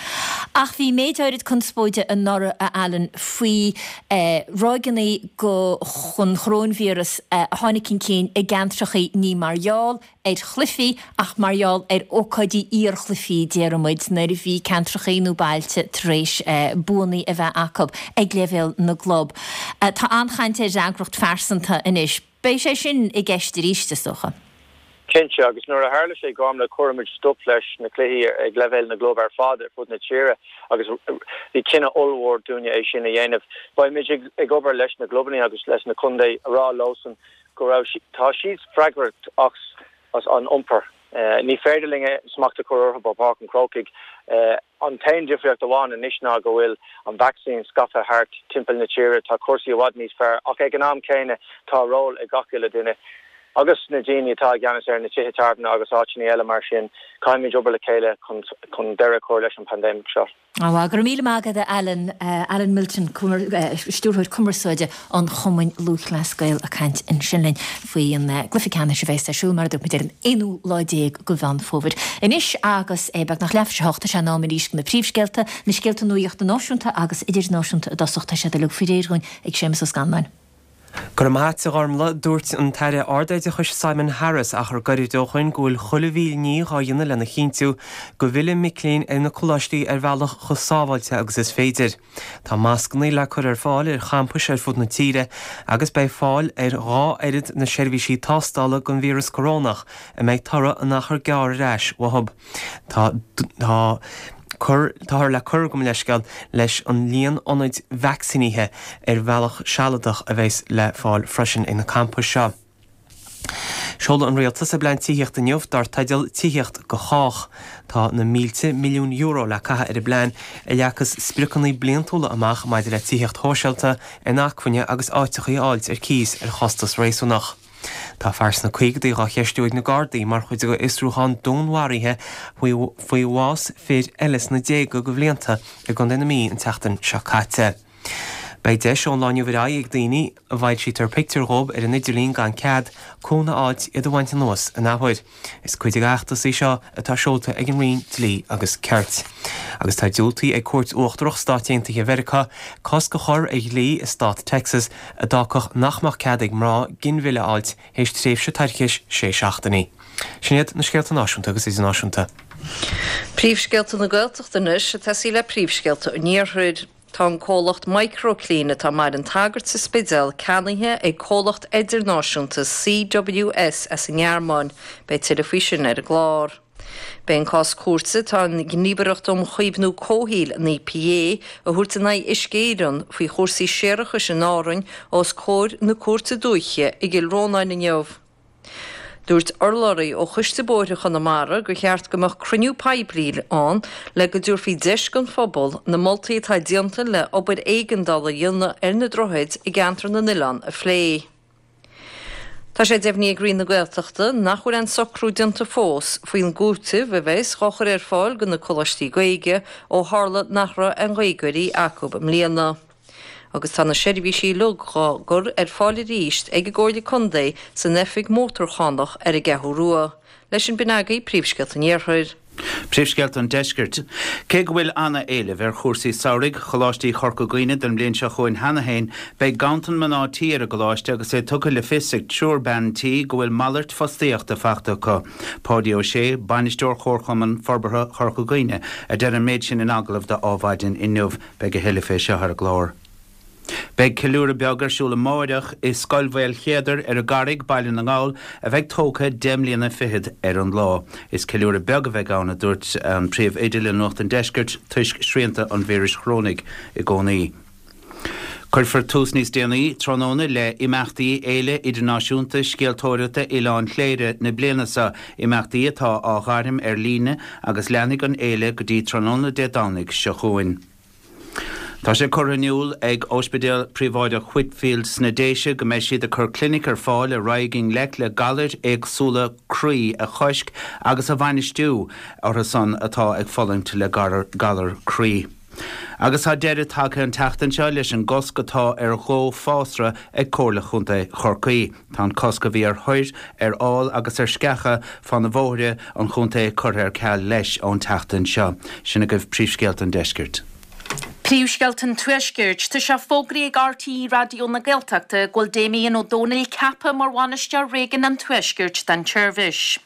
Ach bhí méid áirid conspóide anuraidh, a Alan, faoi ráigeanna den choróinvíreas a tháinig chun cinn i gceantrachaí ní mar gheall ar chluichí ach mar gheall ar ócáidí iarchluichí, déarfaidh muid, nuair a bhí ceantrachaí nó bailte tar éis buanna a bheith acu ag leibhéal na gclub. Tá an-chaint ar fhreagracht phearsanta anois. Beidh sé sin i gceist arís, is dócha. Cinnte, agus nuair a tharla sé, Gormlaith, chuir muid stop leis na cluichí ag leibhéal na gclub ar fad ar fud na tíre agus bhí cinneadh ollmhór dúinne é sin a dhéanamh. Beidh muid ag obair leis na gclubanna agus leis na contae a rá leosan go raibh, tá siad freagrach as an iompar. Ní féidir linn smacht a chur orthu ó Pháirc an Chrócaigh. An t-aon difríocht amháin anois ná go bhfuil an vacsaín scaipthe thart timpeall na tíre, tá cúrsaí i bhfad níos fearr ach ag an am céanna tá ról ag gach uile duine. Agus na daoine atá i gceannas ar na tithe tábhairne agus áiteanna eile mar sin, caithfimid obair le chéile chun deireadh a chur leis an bpaindéimic seo. Á, go raibh míle maith agat a Alan, Alan Milton, Stiúrthóir Cumarsáide an Chumainn Lúthchleas Gael ag caint ansin linn faoi an gcluiche ceannais a bheas ar siúl mar a dúirt muid ar an aonú lá déag de Mheán Fómhair. Anois agus é beagnach leathuair tar éis a hocht tá sé in am arís do na príomhscéalta, na scéalta nuachta náisiúnta agus idirnáisiúnta i dtosach, tá siad uilig faoi réir dhúinn ag Séamus Ó Scanláin. Go raibh maith a't, a Ghormlaith. Dúirt an tAire Ardoideachais Simon Harris achar gairid ó shoin go bhfuil chuile mhíle ní dhá dhéanamh lena chinntiú go bhfillfidh mic léinn ar na coláistí ar bhealach chomh sábháilte agus is féidir. Tá mascannaí le cur ar fáil ar champais ar fud na tíre agus beidh fáil ar dhá oiread na seirbhísí tástála don víreas corónach a mbeidh toradh in achar gearr ar ais uathu. Tá tá cur táthar le cur gabh mo leithscéal leis an líon ionaid vacsaínithe ar bhealach sealadach a bheas le fáil freisin ag na campais seo. Seoladh an Rialtas a bplean tithíochta inniu dar teideal Tithíocht do Chách. Tá na mílte milliún euro le caitheamh ar an bplean a leagfas spriocanna bliantúla amach maidir le tithíocht shóisialta, inacmhainne agus áiteachaí a fháilt ar cíos ar chostas réasúnach. Tá fear sna caogadaí dhá cheistiú ag na Gardaí mar chuid de fhiosrúchán dúnmharaithe faoi bhás fir eile sna déaga de bhlianta i gContae na Mí an tseachtain seo caite. Beidh deis ón lá inniu ar aghaidh ag daoine a bhfoilsítear pictiúir dhóibh ar an idirlíon gan cead, cúnamh a fháilt iad a bhaint anuas an athuair. Is cuid de fheachtas í seo atá seolta ag an Roinn Dlí agus Cirt. Agus tá diúltaithe ag Cúirt Uachtarach Stáit Aontaithe Mheiriceá cosc a chur ar dhlí i stát Texas a d'fhágfadh nach mbeadh cead ag mná ginmhilleadh a fháilt théis tréimhse toirchis sé seachtainí. Sin iad na scéalta náisiúnta agus idirnáisiúnta. Príomhscéalta na Gaeltachta anois, ag tosaí le príomhscéalta an Iarthair. Tá an comhlacht Microclean atá i mBaile an tSagairt sa Spidéal ceannaithe ag comhlacht idirnáisiúnta CWS as an nGearmáin. Beidh tuilleadh faoi sin ar an gclár. Beidh an cás cúirte atá an Ghníomhaireacht um Chaomhnú Comhshaoil, an EPA, a thabhairt in aghaidh Uisce Éireann faoi chúrsaí séarachais in Árainn os comhair na Cúirte Dúiche i gCill Rónáin inniu. Dúirt urlabhraí ó Choiste Bóithre Chonamara gur cheart go mbeadh cruinniú poiblí ann le go dtabharfaí deis don phobal na moltaí atá déanta le obair éigeandála a dhéanamh ar na droichid i gCeantar na nOileán a phlé. Tá sé deimhnithe ag Roinn na Gaeltachta nach bhfuil aon socrú déanta fós faoin gcúiteamh a bheas dhá chur ar fáil do na coláistí Gaeilge ó tharla nach raibh aon Ghaeilgeoirí acu i mbliana. Agus tá na seirbhísí uilig dhá gcur ar fáil arís ag an gComhairle Contae san oifig mótarchánach ar an gCeathrú Rua. Leis sin b'in agaibh príomhscéalta an Iarthair. Príomhscéalta an Deiscirt. Cé go bhfuil ana-éileamh ar chúrsaí samhraidh Choláistí Chorca Dhuibhne don mbliain seo chugainn cheana féin, beidh ganntan mná tí ar an gcoláiste agus é tugtha le fios ag triúr bean tí go bhfuil malairt fostaíochta faighte acu. Páidí Ó Sé, Bainisteoir Chomharchumann Forbartha Chorca Dhuibhne, a deir an méid sin in agallamh do Adhmhaidin inniu. Beidh a thuilleadh fé seo ar an gclár. Beidh ceiliúradh beag ar siúl amáireach i Scoil Mhaolchéadair ar an gCarraig, Baile na nGall, a bheidh tógtha 10 mbliana fichead ar an lá. Is ceiliúradh beag a bheidh ann, a dúirt an príomhoide le Nuacht an Deiscirt, toisc srianta an víris chorónaigh i gcónaí. Cuirfear tús níos déanaí tráthnóna le imeachtaí Fhéile Idirnáisiúnta Scéaltóireachta Oileán Chléire na bliana seo, imeachtaí atá á ghairm ar líne agus leanfaidh an fhéile go dtí tráthnóna Dé Domhnaigh seo chugainn. Tá sé curtha in iúl ag Ospidéal Príobháideach Whitefield sna Déise go mbeidh siad ag cur clinic ar fáil a raghaidh i ngleic le galair éagsúla croí a chosc agus a bhainistiú orthu san atá ag fulaingt le galar croí. Agus tá deireadh tagtha an tseachtain seo leis an gcosc atá ar dhó fásra ag Comhairle Chontae Chorcaí. Tá an cosc a bhí ar thoir, ar fhál agus ar sceacha fá na bhóithre an chontae curtha ar ceal leis ón tseachtain seo. Sin agaibh príomhscéalta an deiscirt. Príomhscéalta an Tuaiscirt. Tá sé fógraithe ag RTÉ Raidió na Gaeltachta go bhfuil Damien Ó Dónaill ceaptha mar Bhainisteoir Réigiún an Tuaiscirt don tseirbhís.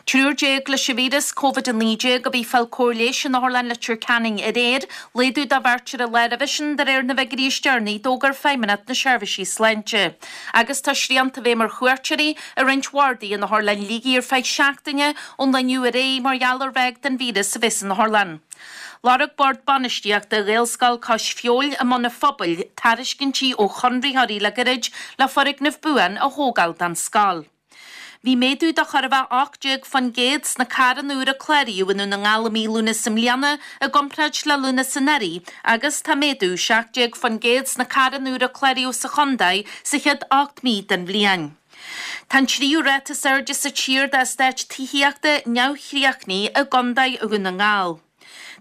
Triúr d'éag leis an víreas Covid-19 a bhí ag fáil cóir leighis in Otharlann Leitir Ceanainn aréir, laghdú de bheirt ar an lá roimhe sin de réir na bhfigiúirí is deireanaí a d'fhógair Feidhmeannacht na Seirbhísí Sláinte. Agus tá srianta i bhfeidhm ar chuairteoirí i roinnt bhardaí in Otharlann Shligigh ar feadh seachtaine ón lá inniu ar aghaidh mar gheall ar ráig den víreas a bheith san otharlann. Lorg Bord Bainistíochta Ghaelscoil Cois Feabhail i mBun an Phobail tairiscintí ó chonraitheoirí le gairid le foirgneamh buan a thógáil don scoil. Bhí méadú de chóir a bheith 18% sna carranna úra a cláraíodh i nDún na nGall i mí Lúnasa i mbliana i gcomparáid le Lúnasa anuraidh agus tá méadú 17% sna carranna úra a cláraíodh sa chontae sa chéad 8 mí den bhliain. Tá an tríú ráta is airde sa tír d'eastáit tithíochta neamhchríochnaithe i gContae Dhún na nGall.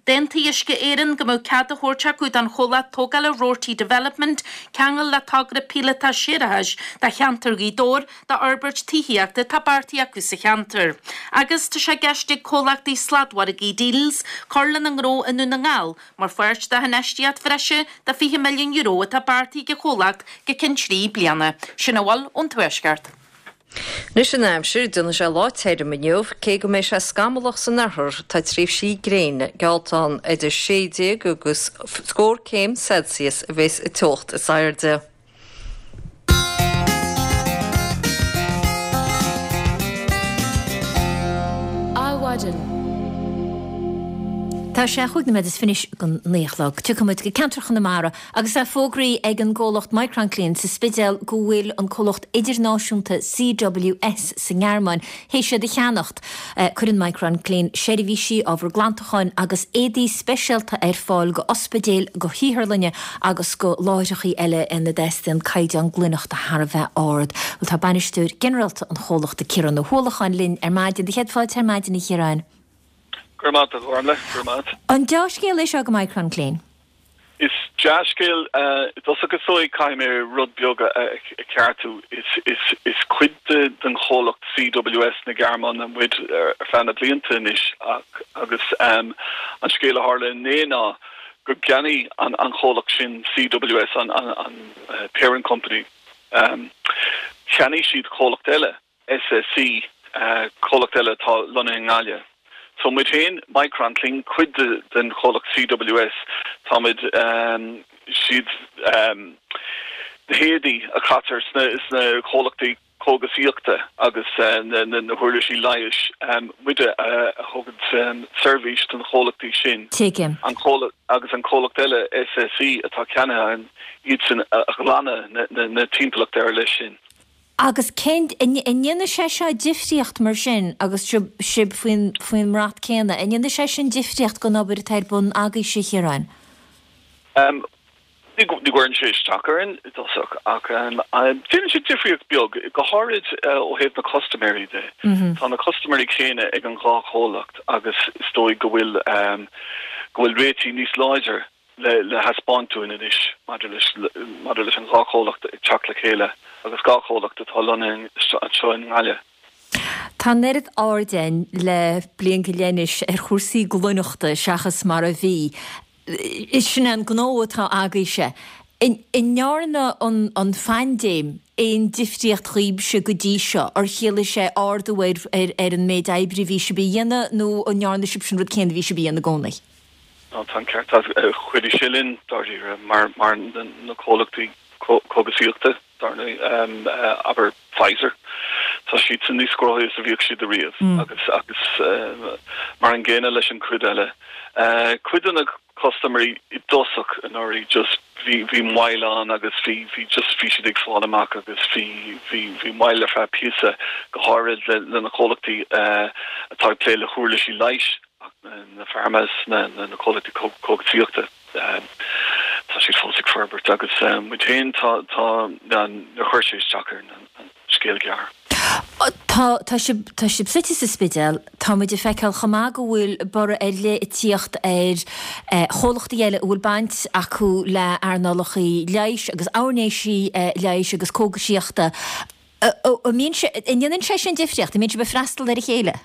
D'aontaigh Uisce Éireann go mbeadh cead á thabhairt acu don chomhlacht tógála Roarty Development ceangal le togra píolótach séarachais do cheantar Ghaoth Dobhair d'fhorbairt tithíochta atá beartaithe acu sa cheantar. Agus tá sé i gceist ag comhlachtaí sladmhargaidh Dealz cur lena ngnó i nDún na nGall mar pháirt de infheistíocht bhreise de €20 milliún atá beartaithe ag an chomhlacht go ceann 3 bliana. Sin a bhfuil ón Tuaisceart. Anois an aimsir, déanfaidh sé lá tirim inniu, cé go mbeidh sé scamallach san oirthear, tá tréimhsí gréine geallta ann. Idir 16 agus scór céim Celsius a bheas an teocht is airde. Adhmhaidin. Tá sé chúig nóiméad is fiche don naoi a chlog. Tiocfaidh muid go ceantar Chonamara Agus é fógraithe ag an gcomhlacht Micronclean sa Spidéal go bhfuil an comhlacht idirnáisiúnta CWS sa nGearmáin théis iad a cheannacht, cuireann Micronclean seirbhísí, ábhar glantacháin agus éadaí speisialta ar fáil go ospidéil, go hotharlanna agus go láithreachaí eile ina dteastaíonn caighdeán glaineachta thar a bheith ard. Bhuel tá bainisteoir ginearálta an chomhlachta Ciarán Ó hUallacháin linn ar maidin. Do chéad fáilte ar maidin a Chiaráin. Go raibh maith agat a Ghormlaith, go raibh maith. An dea-scéal é seo go Micronclean? Is dea-scéal. I dtosach is dóigh caithfidh mé rud beag a cheartú. Is cuid den chomhlacht CWS na Gearmáine muid ar feadh na blianta anois ach agus an scéal a tharla inné ná gur cheannaigh an chomhlacht sin CWS, an parent company, cheannaigh siad comhlacht eile. SSC, comhlacht eile atá lonnaithe i nGaillimh. So muid féin, Micronclean, cuid den chomhlacht CWS, táimid, siad na héadaí a chaitear sna comhlachtaí cógaisíochta agus na huirlisí leighis, muide a thugann seirbhís don chomhlachtaí sin. Tuigim. An comhlacht, agus an comhlacht eile, SSC, atá ceannaithe againn, iadsan a ghlanadh na timpeallachta ar leith sin. Agus cén, an ndéanfaidh sé seo difríocht mar sin agus sibh faoin, faoin mbrat céanna, an ndéanfaidh sé sin difríocht don obair atá ar bun agaibhse, a Chiaráin? Ní gcuireann sé isteach orainn i dtosach ach déanann sé difríocht beag, go háirid ó thaobh na custaiméirí de. Tá na custaiméirí céanna ag an dhá chomhlacht agus is dóigh go bhfuil, go bhfuil réitigh níos láidre le thaispeáint dúinn anois maidir leis maidir leis an dhá chomhlacht ag teacht le chéile agus dhá chomhlacht atá lonnaithe anseo i nGaillimh. Tá an oiread aird againn le bliain go leith anois ar chúrsaí glaineachta seachas mar a bhí. Sin é an gnó atá agaibhse. An ndearna an phaindéim aon difríocht dhaoibhse go dtí seo? Ar chiallaigh sé ardú ar ar an méid oibre a bhí sibh a dhéanamh nó an ndearna sibhse an rud céanna a bhí sibh a dhéanamh i gcónaí? Tá an ceart agat. Chuidigh sé linn, dáiríre, mar mar na comhlachtaí cógaisíochta, dar ndóigh, abair Pfizer, tá siadsan níos gnóthaí is a bhíodh siad ariamh agus agus mar an gcéanna leis an chuid eile. Cuid de na custaiméirí i dtosach anuraidh just bhí bhí moill ann agus bhí bhí just bhí siad ag fáil amach agus bhí bhí bhí moill ar feadh píosa, go háirid le le na comhlachtaí atá ag plé le huirlisí leighis. Ach na pharmas, na comhlachtaí cógaisíochta, tá siad fós ag forbairt agus muid féin, tá, tá, níor chuir sé isteach orainn an scéal gearr. Tá, tá sibh, tá sibh suite sa Spidéal, tá muid ag feiceáil chomh maith go bhfuil borradh ar leith ag tíocht ar chomhlachtaí eile a bhfuil baint acu le earnálacha leighis agus airnéisí leighis agus cógaisíochta. An mbíonn sé, an ndéanann sé sin difríocht? An mbíonn sibh ag freastal ar a chéile?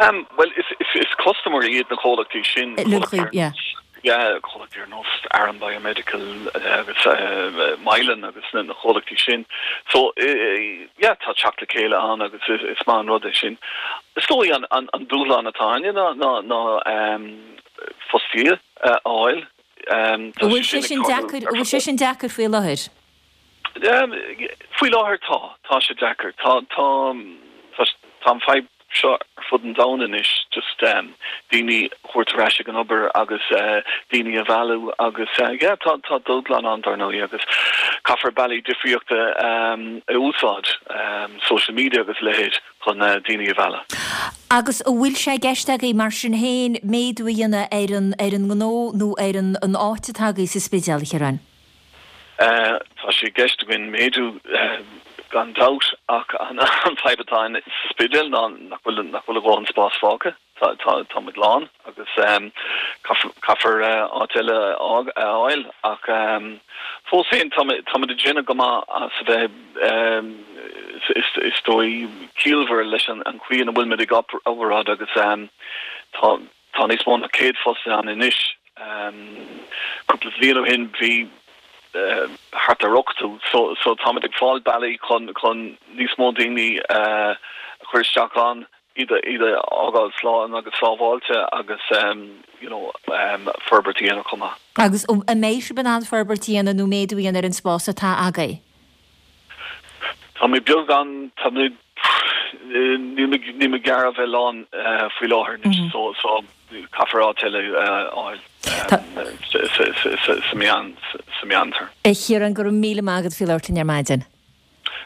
Bhuel, is custaiméirí iad na comhlachtaí sin, comhlachtaí ar nós Aran Biomedical agus Mylan agus na comhlachtaí sin. So, yeah, tá teacht le chéile ann agus is maith an rud é sin. Is dóigh an dúshlán atá againne ná fostaithe a fháil. An bhfuil sé sin deacair, an bhfuil sé sin deacair faoi láthair? Faoi láthair tá. Tá sé deacair. Tá, tá, tá an fadhb seo ar fud an domhain anois, just daoine a thabhairt ar ais ag an obair agus daoine a mhealladh agus yeah, tá, tá dúshlán ann dar ndóigh agus caithfear bealaí difríochta a úsáid, social media agus a leithéid chun daoine a mhealladh. Agus an bhfuil sé i gceist agaibh mar sin féin méadú a dhéanamh ar an, ar an ngnó nó ar an, an áit atá agaibh sa Spidéal, a Chiaráin? Tá sé i gceist againn méadú. Gan dabht, ach an fadhb atá ann sa Spidéal ná nach bhfuil nach bhfuil a dhóthain spás fágtha. Tá tá tá muid lán agus caithfear áit eile a fháil ach fós féin tá tá muid ag déanamh go maith as a bheith is is dóigh ciallmhar leis an chaoi ina bhfuil muid ag obair agus tá Tá níos mó ná 100 fostaí ann anois. Cúpla bliain ó shin bhí thart ar 80 so so táimid ag fáil bealaí chun chun níos mó daoine a chur isteach ann, iad a iad a fhágáil slán agus sábháilte agus you know forbairt a dhéanamh chomh maith. Agus an mbeidh sibh in ann forbairt a dhéanamh nó méadú a dhéanamh ar an spás atá agaibh? Tá mé beagán, tá mé, níl mé, níl mé gar a bheith lán faoi láthair anois so, so caithfear áit eile a fháil sa meán, sa meántéarma. A Chiaráin, go raibh míle maith agat faoi labhairt linn ar maidin.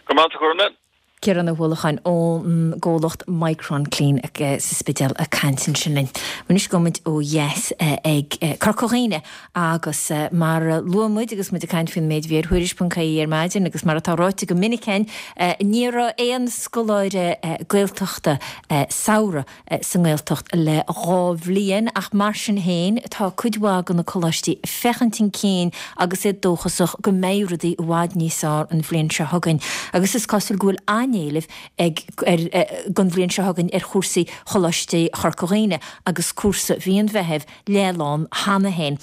Go raibh maith agat, a Ghormfhlaith. Ciarán Ó hUallacháin ón gcomhlacht Micron Clean sa Spidéal ag caint ansin linn. Anois gabhfaidh muid ó dheas ag Corca Dhuibhne agus mar a luaigh muid agus muid ag caint faoin méid a bhí ar Thuairisc.ie ar maidin agus mar atá ráite go minic againn, ní raibh aon scoláire Gaeltachta samhraidh sa nGaeltacht le 2 bhliain ach mar sin féin tá cuid mhaith de na coláistí ag féachaint chun cinn agus iad dóchasach go mbeidh rudaí i bhfad níos fearr an bhliain seo chugainn agus is cosúil go bhfuil an-éileamh ag ar don bhliain seo chugainn ar chúrsaí Choláiste Chorca Dhuibhne agus cúrsa mhí an Mheithimh leathlán cheana féin.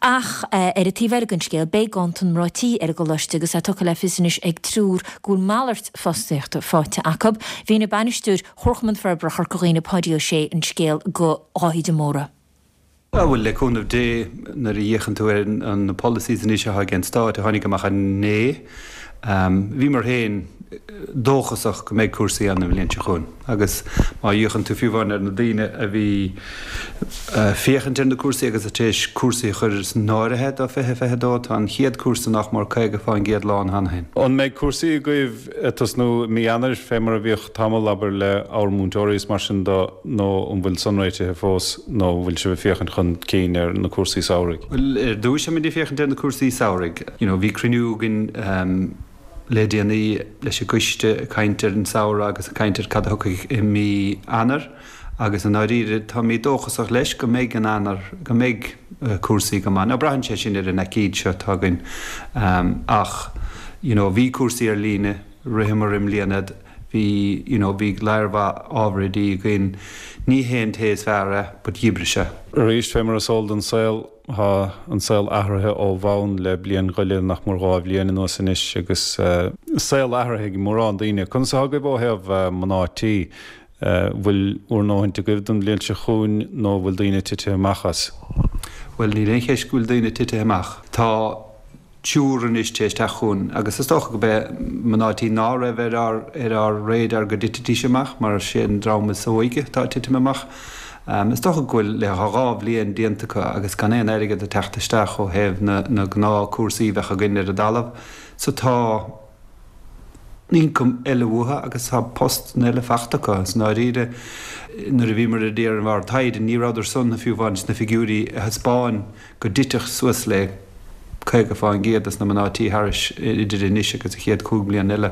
Ach ar an taobh eile den scéal, beidh ganntan mná tí ar an gcoláiste agus é tugtha le fios anois ag triúr go bhfuil malairt fostaíochta faighte acu. Mhínigh bainisteoir Chomharchumann Forbartha Chorca Dhuibhne, Páidí Ó Sé, an scéal do Dháithí de Mórdha. Bhuel, le cúnamh Dé, nuair a fhéachann tú ar na policies anois atá ag an Stát a tháinig amach inné, bhíomar féin dóchasach go mbeidh cúrsaí ann an bhliain seo chugainn. Agus má fhéachann tú fiú amháin ar na daoine a bhí ag féachaint ar na cúrsaí agus tar éis cúrsaí a chur san áirithe do 2022, tá an chéad cúrsa nach mór 50% lán cheana féin. An mbeidh cúrsaí agaibh ag tosnú i mí Eanáir, fé mar a bhíodh tamall, abair, le ábhar múinteoirí is mar sin do, nó an bhfuil san réitithe fós, nó an bhfuil sibh ag féachaint chun cinn ar na cúrsaí samhraidh? Bhuel, ar dtúis táimid ag féachaint ar na cúrsaí samhraidh. You know, bhí cruinniú againn le déanaí leis an gcoiste ag caint ar an samhradh agus ag caint ar cad a thiocfaidh i mí Eanáir agus i ndáiríre táimid dóchasach leis go mbeidh an Eanáir, go mbeidh cúrsaí go maith. Now braitheann sé sin ar an aicíd seo atá againn ach you know bhí cúrsaí ar líne, ritheamar i mbliana, bhí you know bhí lear mhaith ábhar oidí againn, ní hé an té is fearr é but dh'oibrigh sé. Arís, fé mar is eol don saol, Tá an saol athraithe ó bhonn le bliain go leith, nach mór 2 bhliain anuas anois, agus saol athraithe ag mórán daoine. Conas atá agaibh ó thaobh mná tí? Bhfuil bhur ndóthaint agaibh don bhliain seo chugainn nó bhfuil daoine titithe amach as? Bhuel, níl aon cheist go bhfuil daoine titithe amach. Tá. triúr anois tar éis teacht chugainn agus is dócha go b'é mná tí ná raibh ar ár ar ár radar go dtitfidís amach mar is é an dream is óige atá ag titim amach. Is dócha go bhfuil le 2 bhliain déanta acu agus gan aon airgead ag teacht isteach ó thaobh na na gnáth cúrsaí a bheadh againn ar an dtalamh so tá ioncam eile uathu agus tá post eile fachta acu. I ndáiríre nuair a bhíomar ag déanamh ár dtaighde ní rabhadar san fiú amháin sna figiúirí a thaispeáin go dtitfeadh suas le 50% des na mná tí thairis idir anois agus an chéad chúig bliana eile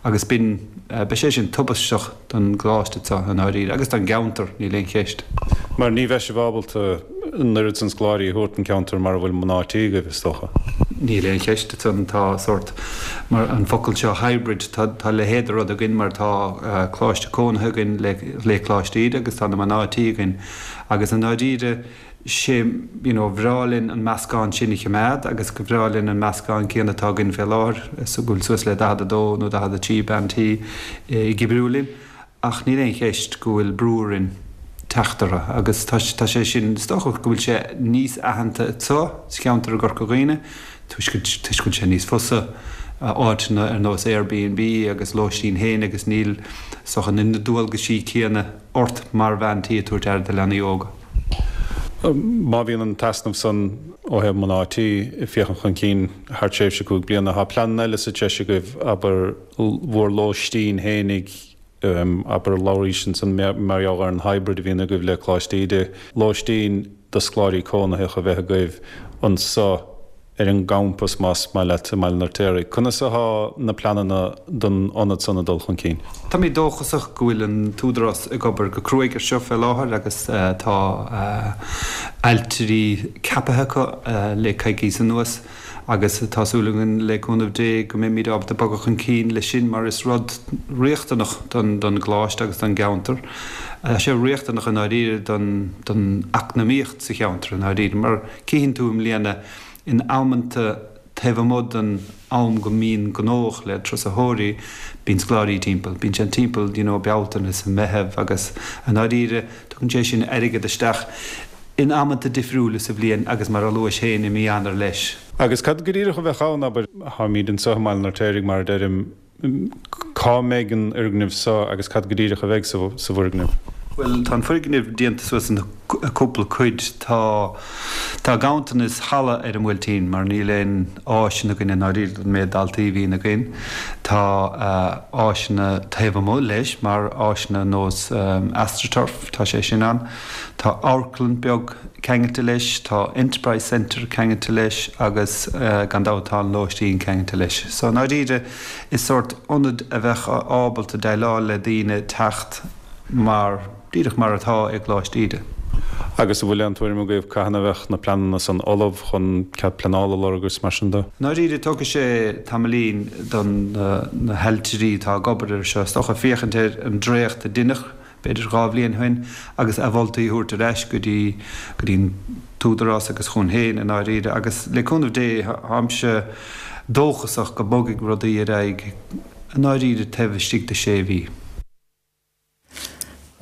agus b'in, beidh sé sin tubaisteach don gcoláiste seo i ndáiríre agus don gceantar, níl aon cheist. Mar ní bheidh sibh ábalta an oiread san scoláirí a thabhairt don cheantar mar a bhfuil mná tí agaibh, is dócha. Níl aon cheist ansan, tá sórt, mar an focal seo hybrid, tá, tá a leithéid de rud againn mar tá coláiste cónaithe againn le, le Coláiste Íde agus tá na mná tí againn agus i ndáiríre, sé, you know, bhreá linn an meascán sin a choimeád agus go bhreá linn an meascán céanna atá againn fé láthair, go bhfuil suas le 42 nó 43 bean tí ag oibriú linn ach níl aon cheist go bhfuil brú orainn teacht orthu agus tá, tá sé sin, is dócha go bhfuil sé níos aitheanta anseo sa cheantar i gCorca Dhuibhne toisc go, toisc go bhfuil sé níos fusa áiteanna ar nós Airbnb agus lóistín féin agus níl, is dócha, na dualgaisí céanna ort mar bhean tí ag tabhairt aire do leanaí óga. Má bhíonn an t-easnamh san ó thaobh mná tí ag féachaint chun cinn thar tréimhse 5 bliana, tá pleananna eile sa treis agaibh, abair, bhur lóistín fhéinig, abair, labhraís ansan mar gheall ar an hybrid a bhíonn agaibh le Coláiste Íde, lóistín do scoláirí cónaitheach a bheith agaibh anso. ar an gcampas, más maith leat, i mBaile an Fheirtéaraigh. Conas athá na pleananna don ionad san ag dul chun cinn? Táimid dóchasach go bhfuil an tÚdarás ag obair go cruaidh ar seo fé láthair agus tá ailtirí ceapaithe acu le coicíos anuas agus tá súil againn le cúnamh Dé go mbeimid ábalta bogadh chun cinn leis sin mar is rud riachtanach don gcoláiste agus don gceantar. Tá sé riachtanach i ndáiríre don eacnamaíocht sa cheantar i ndáiríre mar cífidh tú i mbliana in amanta taobh amuigh den am go mbíonn gnóthach le turasóirí, bíonn scoláirí timpeall, bíonn siad timpeall you know Bealtaine is Meitheamh agus i ndáiríre tugann sé sin airgead isteach in amanta difriúla sa bhliain agus mar a luais féin i mí Eanáir leis. Agus cad go díreach a bheadh ann, abair, táimid anseo i mBaile an Fheirtéaraigh mar a deirim, Cá mbeidh an fhoirgneamh seo agus cad go díreach a bheidh sa bhfoirgneamh? Bhuel, tá an foirgneamh déanta suas ina cúpla cuid. Tá tá ganntanas halla ar an mBuailtín mar níl aon áiseanna againn i ndáiríre don méid daltaí a bhíonn againn. Tá áiseanna taobh amuigh leis mar áiseanna nós Astroturf, tá sé sin ann. Tá amharclann beag ceangailte leis, tá Enterprise Centre ceangailte leis agus gan dabht tá an lóistín ceangailte leis. So i ndáiríre is sórt ionad a bheadh ábalta déileáil le daoine teacht mar, díreach mar atá i gColáiste Íde. Agus an bhfuil aon tuairim agaibh cathain a bheadh na pleananna san ullamh chun cead pleanála a lorg agus mar sin de? I ndáiríre tógfaidh sé tamaillín don na hailtirí atá ag obair air seo is dócha féachaint ar an dréacht a deineadh b'fhéidir 2 bhliain ó shin, agus a mholtaí a thabhairt ar ais go dtí, go dtí an tÚdarás agus chugainn féin i ndáiríre. Agus le cúnamh Dé, táimse dóchasach go mbogfaidh rudaí ar aghaidh i ndáiríre taobh istigh de sé mhí.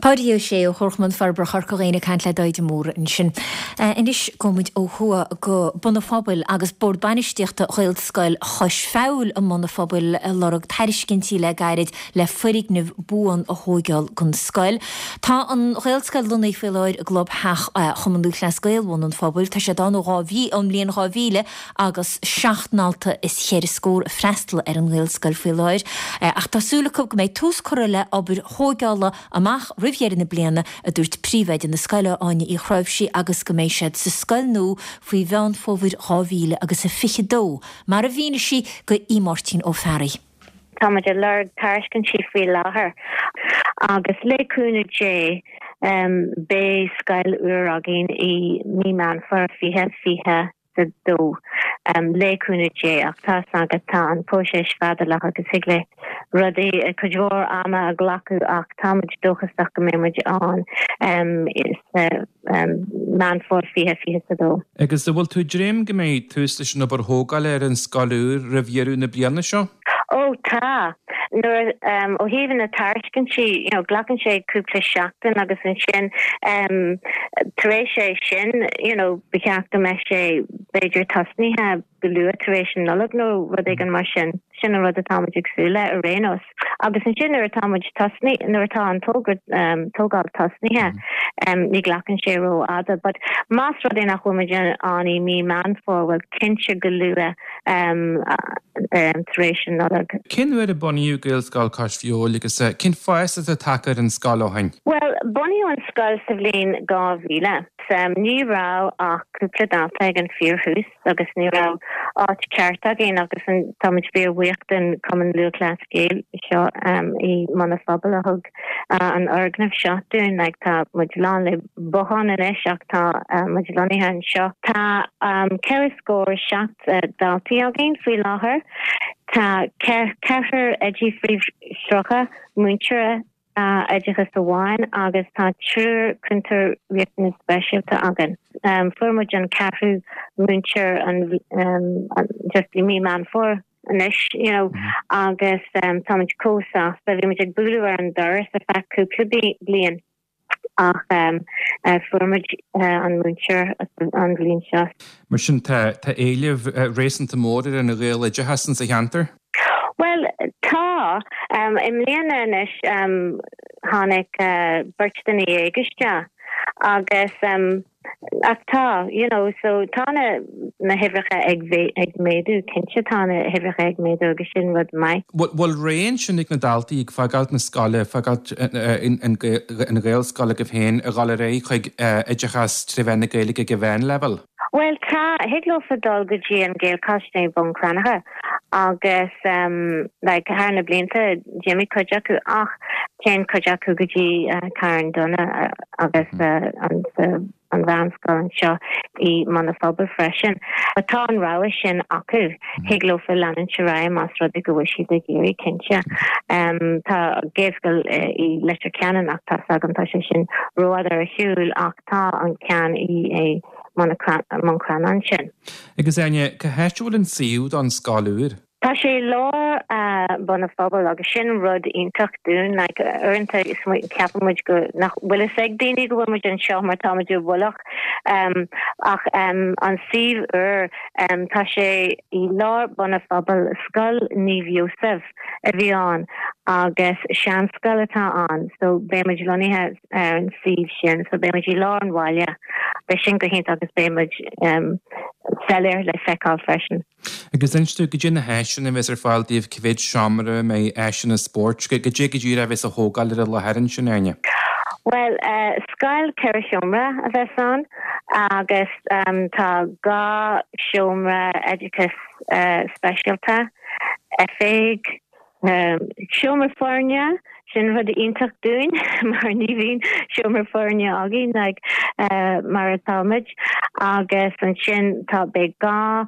Páidí Ó Sé ó Chomharchumann Forbartha Chorca Dhuibhne ag caint le Daid de Mórdha ansin. Anois gabhfaidh muid ó thuaidh go Bun an Phobail agus Bord Bainistíochta Ghaelscoil Chois Feabhail i mBun an Phobail ag lorg tairiscintí le gairid le foirgneamh buan a thóigeáil don scoil. Tá an Ghaelscoil lonnaithe faoi láthair i gclubtheach Chumann Lúthchleas Gael Bhun an Phobail. Tá siad ann ó ón mbliain 2000 agus 7 ndalta is cheithre scór ag freastal ar an nGaelscoil faoi láthair. Ach tá súil acu go mbeidh tús curtha le obair thóigeála amach roimh dheireadh na bliana, a dúirt príomhoide na scoile, Áine Uí Chráimhsí, agus go mbeidh siad sa scoil nua faoi Mheán Fómhair 2022, mar a mhínigh sí do Aodh Máirtín Ó Fearraigh. Tá muid ag lorg tairiscintí faoi láthair agus le cúnamh Dé beidh scoil úr againn i mí Meán Fómhair 2022 le cúnamh Dé ach tá's agat tá an próiseas fadálach agus thig le rudaí cuid mhór ama a ghlacadh ach tá muid dóchasach go mbeidh muid ann sa Meán Fómhair 2022. Agus an bhfuil tú ag dréim go mbeidh tús leis an obair thógála ar an scoil úr roimh dheireadh na bliana seo? Ó tá. Nuair a, ó thaobh na tairiscintí, you know, glacann sé cúpla seachtain agus ansin tar éis é sin, you know, ba cheart go mbeadh sé b'fhéidir tosnaithe go luath tar éis an Nollag nó rud éigin mar sin. Sin an rud atá muid ag súil le ar aon nós. Agus ansin nuair atá muid tosnaithe, nuair atá an tógra, tógáil tosnaithe, ní ghlacann sé rófhada. But más rud é nach bhfuil muid ann i mí Meán Fómhair, bhuel cinnte go luath tar éis an Nollag. Cén uair a bunaíodh Gaelscoil Cois Feabhail agus cén fás atá tagtha ar an scoil ó shin? Bhuel, bunaíodh an scoil sa bhliain 2000. Ní raibh ach cúpla dalta ag an fíorthús. agus ní raibh áit ceart againn agus táimid fíor-bhuíoch den Cumann Lúthchleas Gael seo i mBun an Phobail a thug an fhoirgneamh seo dúinn. Like tá muid lán le botháin anois ach tá muid lonnaithe anseo. Tá 47 daltaí againn faoi láthair. Tá ceathrar oidí phríomhshrutha, múinteoir oideachais amháin agus tá triúr cúntóir riachtanas speisialta againn. Fuair muid an ceathrú múinteoir an just i mí Meán Fómhair anois you know agus tá muid chomh sásta. Bhí muid ag bualadh ar an doras ar feadh cúpla bliain ach fuair muid an múinteoir an bhliain seo. Mar sin tá éileamh réasúnta mór ar an Ghaeloideachas insa cheantar? Bhuel, tá. I mbliana anois tháinig beirt duine dhéag isteach agus ach tá, you know, so tá na na huimhreacha ag ag méadú, cinnte tá na huimhreacha ag méadú agus sin rud maith. Bhfuil rogha ansin ag na daltaí ag fágáilt na scoile, fágáilt an Ghaelscoil agaibh féin, a dhul ar aghaidh chuig oideachas tré mheán na Gaeilge ag an mheánleibhéal? Bhuel tá, thig leofa dul go dtí an Gaelcholáiste i mBun Cranncha agus like thar na blianta d'imigh cuid acu ach téann cuid acu go dtí Carn Donncha agus an an mheánscoil anseo i mBun an Phobail freisin. But tá an rogha sin acu, thig leofa leanúint ar aghaidh más rud é go bhfuil siad ag iarraidh, cinnte. Tá Gaelscoil i Leitir Ceanainn ach tá's agam tá sé sin rófhada ar shiúl ach tá an ceann i mBun Cranncha ansin. Agus Áine, cá háit a bhfuil an suíomh don scoil úr? Tá sé i lár Bun an Phobail agus sin rud iontach dúinn. Like, uaireanta ceapann muid go nach bhfuil fhios ag daoine go bhfuil muid anseo mar tá muid i bhfolach. Ach an suíomh úr, tá sé i lár Bun an Phobail, Scoil Naomh Iósaf a bhí ann agus seanscoil atá ann so beidh muid lonnaithe ar an suíomh sin so beidh muid i lár an bhaile. Beidh sin go hiontach agus beidh muid soiléir le feiceáil freisin. Agus inis dúinn, goidé na háiseanna a bheas ar fáil daoibh, cá mhéad seomra, an mbeidh áiseanna spóirt, goidé go díreach a bheas á thógáil ar an láthair ansin, Áine? Bhuel, scoil 4 sheomra a bheas ann agus tá 2 seomra oideachais speisialta, oifig, Seomra foirne, sin rud iontach dúinn mar ní bhíonn seomra foirne againn like mar atá muid agus ansin tá beidh 2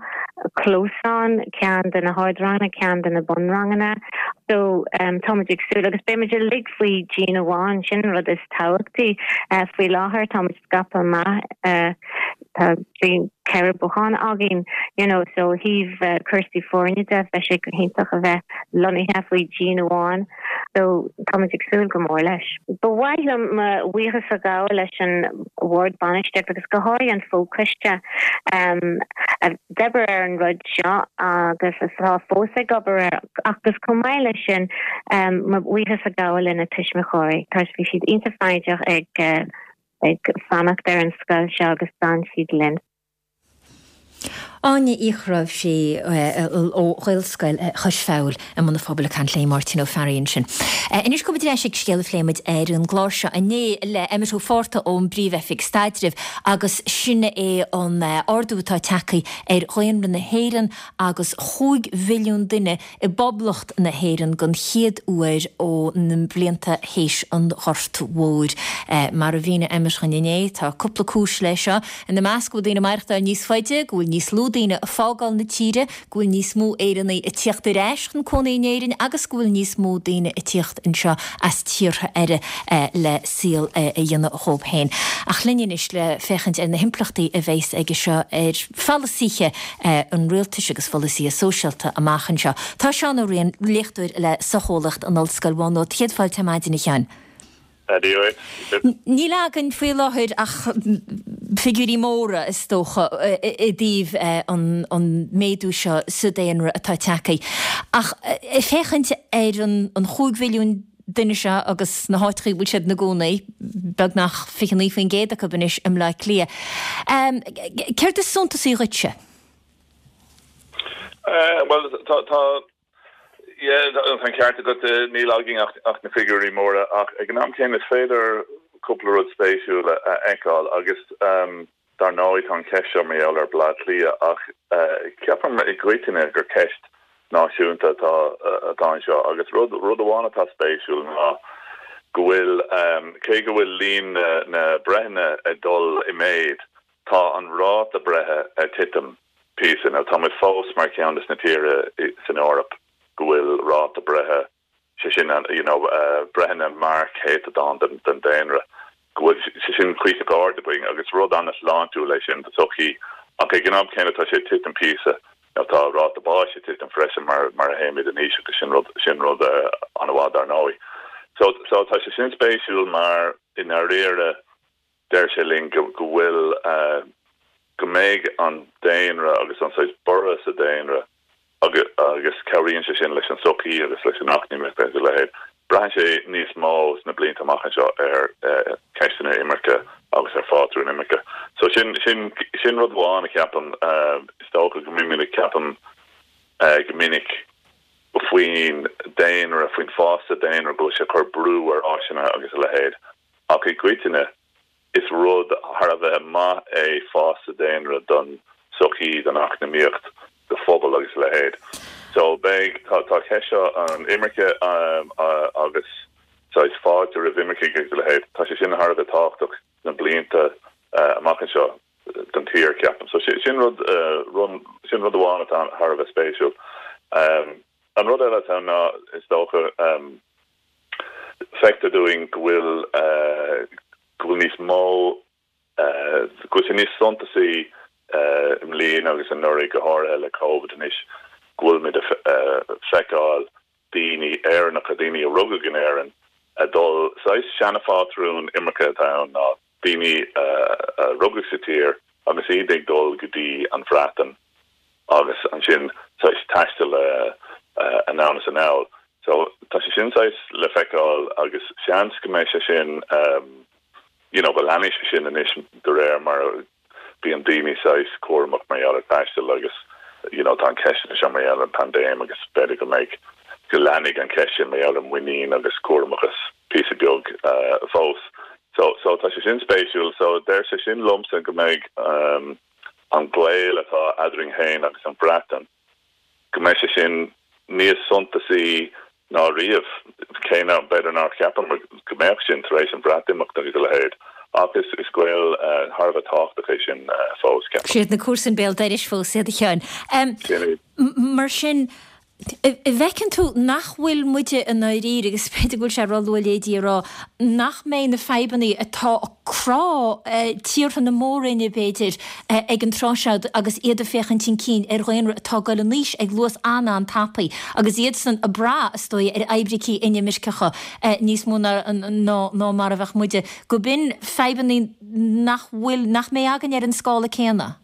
chlós ann, ceann do na hardranganna, ceann do na bunranganna so tá muid ag súil agus beidh muid uilig faoi dhíon amháin, sin an rud is tábhachtaí. Faoi láthair tá muid scaipthe amach tá 4 bothán againn you know so ó thaobh cúrsaí foirne de bheadh sé go hiontach a bheith lonnaithe faoi dhíon amháin so táimid ag súil go mór leis. Ba mhaith liom mo bhuíochas a ghabháil leis an bhord bainistíochta agus go háirithe an fochoiste a d'oibir ar an rud seo agus atá fós ag obair air agus chomh maith leis sin mo bhuíochas a ghabháil lena tuismitheoirí toisc bhí siad iontach foighdeach ag ag fanacht ar an scoil seo agus d'fhan siad linn. Áine Uí Chnáimhsí ó Ghaelscoil Chois Feabhail i mBun an Phobail ag caint le Máirtín Ó Fearraigh ansin. Anois gabhfaidh muid ar ais ag scéal a phléigh muid ar an gclár seo inné le Emmet Ó Fátharta ón bPríomh-Oifig Staidrimh agus sin é an ardú atá tagtha ar dhaonra na hÉireann agus chúig mhilliún duine i bPoblacht na hÉireann den chéad uair ó na blianta théis an Ghorta Mhóir. Mar a mhínigh Emmet dhúinn inné, tá cúpla cúis leis seo, ina measc go bhfuil daoine ag maireachtáil níos faide, go bhfuil níos lú daoine ag fágáil na tíre, go bhfuil níos mó Éireannaigh ag tíocht ar ais chun cónaí in Éirinn agus go bhfuil níos mó daoine ag tíocht anseo as tíortha eile le saol a dhéanamh dhóibh féin. Ach linn anois le féachaint ar na himpleachtaí a bheas aige seo ar pholasaithe an rialtais agus pholasaithe sóisialta amach anseo. Tá Seán Ó Riain, léachtóir le socheolaíocht in Ollscoil Mhá Nuad. Céad fáilte ar maidin, a Sheáin. Dia dhuit. Níl againn faoi láthair ach figiúirí móra, is dócha, i dtaobh an méadú seo sa daonra atá tagtha. Ach ag féachaint ar an chúig mhilliún duine seo agus na háiteachaí a bhfuil siad ina gcónaí, beagnach 29% acu anois i mBleá Cliath. Céard is suntasaí dhuitse? Bhuel, tá, tá, yeah, tá an ceart agat, níl againn ach, ach na figiúirí móra ach ag an am céanna is féidir cúpla rud spéisiúil a fheiceáil agus Dar ndóigh, tá an cheist seo mar gheall ar Bhleá Cliath ach ceapaim i gcoitinne gur ceist náisiúnta atá atá anseo agus rud rud amháin atá spéisiúil ná go bhfuil, cé go bhfuil líon na na breitheanna ag dul i méid, tá an ráta breithe ag titim píosa. Now tá muid fós mar cheann de na tíortha san Eoraip go bhfuil ráta breithe sé sin you know breitheanna mar chéatadán den daonra, go bhfuil sé sin cuíosach ard againn agus rud an-shláintiúil é sin do sochaí ach ag an am céanna tá sé ag titim píosa nó tá ráta báis ag titim freisin mar mar a théimid in aois agus sin rud sin rud an-mhaith dar ndóigh. So so tá sé sin spéisiúil mar i ndáiríre Deir sé linn go bhfuil, go mbeidh an daonra agus an saghas borradh sa daonra agus cabhraíonn sé sin leis an tsochaí agus leis an eacnamaíocht agus a leithéid. Braitheann sé níos mó sna blianta amach anseo ar cheisteanna imirce agus ar phátrúin imirce. So sin, sin, sin rud amháin a cheapaim. Is dócha go mbímid ag ceapaim go minic faoin daonra, faoin fás sa daonra, go bhfuil sé ag cur brú ar áiseanna agus a leithéid. Ach i gcoitinne, is rud thar a bheith maith. maith é fás sa daonra don sochaí, don eacnamaíocht, do phobal agus a leithéid. So beidh, tá, tá ceist seo an imirce agus saghas fáilte roimh imircigh agus a leithéid, tá sé sin thar a bheith tábhachtach sna blianta amach anseo don tír, ceapaim. So sin rud, sin rud amháin atá thar a bheith spéisiúil. An rud eile atá ann ná, is dócha, feictear dúinn go bhfuil, go bhfuil níos mó, go bhfuil sé níos suntasaí i mbliana agus anuraidh, go háirithe le Covid anois, go bhfuilimid ag feiceáil daoine Éireannacha, daoine a rugadh in Éirinn, ag dul, saghas seanaphátrún imirce atá ann ná daoine a rugadh sa tír agus iad ag dul go dtí an Bhreatain agus ansin saghas taisteal anonn is anall. So tá sé sin saghas le feiceáil agus seans go mbeidh sé sin you know go leanfaidh sé sin anois de réir mar a bíonn daoine saghas cúramach mar gheall ar taisteal agus you know tá an ceist seo mar gheall ar an paindéim agus b'fhéidir go mbeidh go leanfaidh an ceist sin mar gheall ar muinín agus cúramachas píosa beag fós. So so tá sé sin spéisiúil. So deir sé sin liomsa go mbeidh an gaol atá eadrainn féin agus an Bhreatain go mbeidh sé sin níos suntasaí ná riamh, cé nach, b'fhéidir nár cheapamar go mbeadh sin tar éis an Bhreatimeacht agus a leithéid, ach is is gaol thar a bheith tábhachtach é sin fós, ceapaim. Siad na comharsain béal dorais fós iad, a Sheáin. Sin iad. Mar sin, an bhfeiceann tú nach bhfuil muide i ndáiríre, agus b'fhéidir go bhfuil sé ró-luath a leithéidí a rá, nach mbeidh na fadhbanna atá ag crá tíortha na Mór-Roinne, b'fhéidir, ag an tráth seo agus iad ag féachaint chun cinn ar dhaonra atá ag dul in aois ag luas an-an-tapaidh agus iadsan ag brath, is dóigh, ar oibricí inimirceacha níos mó ná mar a bheadh muide, go b'in fadhbanna nach bhfuil, nach mbeidh againn ar an scála céanna.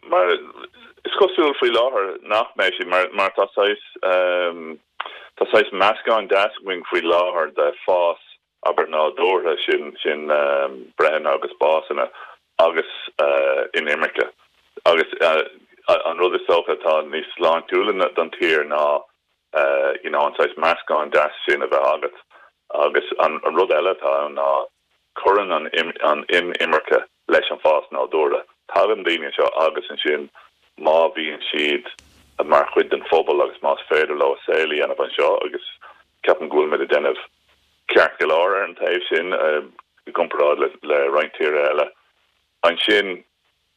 Mar is cosúil faoi láthair nach mbeidh siad, mar tá saghas, tá saghas meascán deas againn faoi láthair de fás abair nádúrtha, sin sin breitheanna agus básanna agus inimirce. Agus an rud is dócha atá níos sláintiúla don tír ná you know an saghas meascán deas sin a bheith agat. Agus an rud eile atá ann ná cuireann an inimirce leis an bhfás nádúrtha. Tagann daoine anseo agus ansin má bhíonn siad mar chuid den phobal agus más féidir leo a saol a dhéanamh anseo agus ceapaim go bhfuilimid ag déanamh ceart go leor ar an taobh sin i gcomparáid le roinnt tíortha eile. Ansin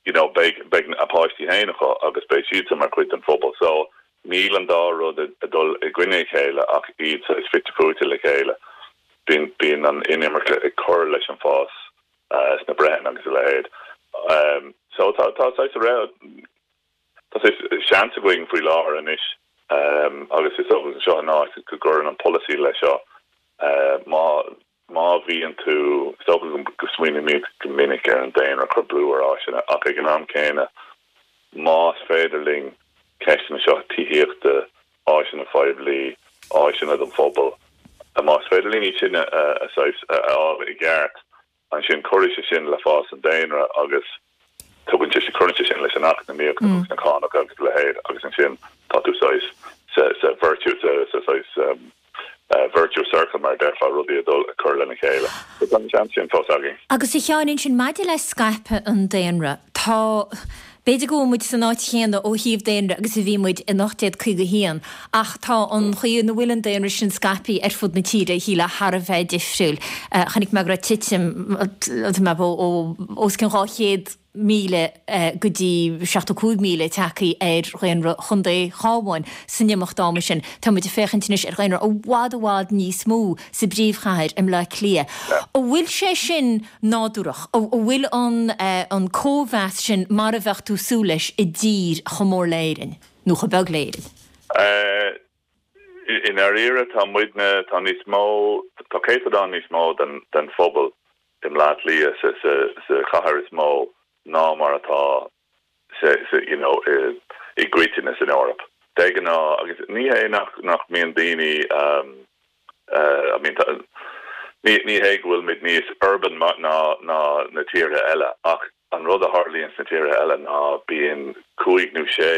you know beidh beidh a páistí féin acu agus beidh siadsan mar chuid den phobal. So níl an dá rud ag dul i gcoinne a chéile ach iad saghas fite fuaite le chéile. Bíonn bíonn an inimirce ag cur leis an bhfás sna breitheanna agus a leithéid. So tá tá saghas tá saghas seans againn faoi láthair anois agus is dócha seo an áit go gcuireann an polasaí leis seo. Má má bhíonn tú, is dócha go smaoinímid go minic ar an daonra ag cur brú ar áiseanna ach ag an am céanna más féidir linn ceisteanna seo tithíochta, áiseanna poiblí, áiseanna don phobal, más féidir linn iad sin a saghas a fháil i gceart, ansin cuirfidh sé sin le fás an daonra agus tugann sé, cuireann sé sin leis an eacnamaíocht agus na cánacha agus a leithéid agus ansin tá tú saghas sa, sa virtuous, sa, sa saghas virtuous circle mar a déarfá, rudaí ag dul ag cur lena chéile. So tá an seans sin fós againn. Agus a Sheáin, ansin maidir le scaipeadh an daonra, tá, B'fhéidir go bhfuil muid san áit chéanna ó thaobh daonra agus a bhí muid in 1851 ach tá an chaoi ina bhfuil an daonra sin scaipthe ar fud na tíre, shílfeá, thar a bheith difriúil. Chonaic mé go raibh titim ó os cionn 200,000 go dtí 75,000 tagtha ar dhaonra Chontae Chabháin san imeacht ama sin. Tá muid ag féachaint anois ar dhaonra i bhfad i bhfad níos mó sa bpríomhchathair i mBleá Cliath. An bhfuil sé sin nádúrach? An bhfuil an cóimheas sin mar a bheadh tú ag súil leis i dtír chomh mór le Éirinn, nó chomh beag le Éirinn? I ndáiríre, tá muidne, tá níos mó, tá céatadán níos mó den phobal i mBleá Cliath, sa chathair is mó, ná mar atá sa, you know, i gcoitinne san Eoraip. De ghnáth, agus ní hé nach, nach mbíonn daoine, I mean, ní, ní hé go bhfuilimid níos urban ná, ná na tíortha eile ach an rud a tharlaíonn sna tíortha eile ná bíonn cúig nó sé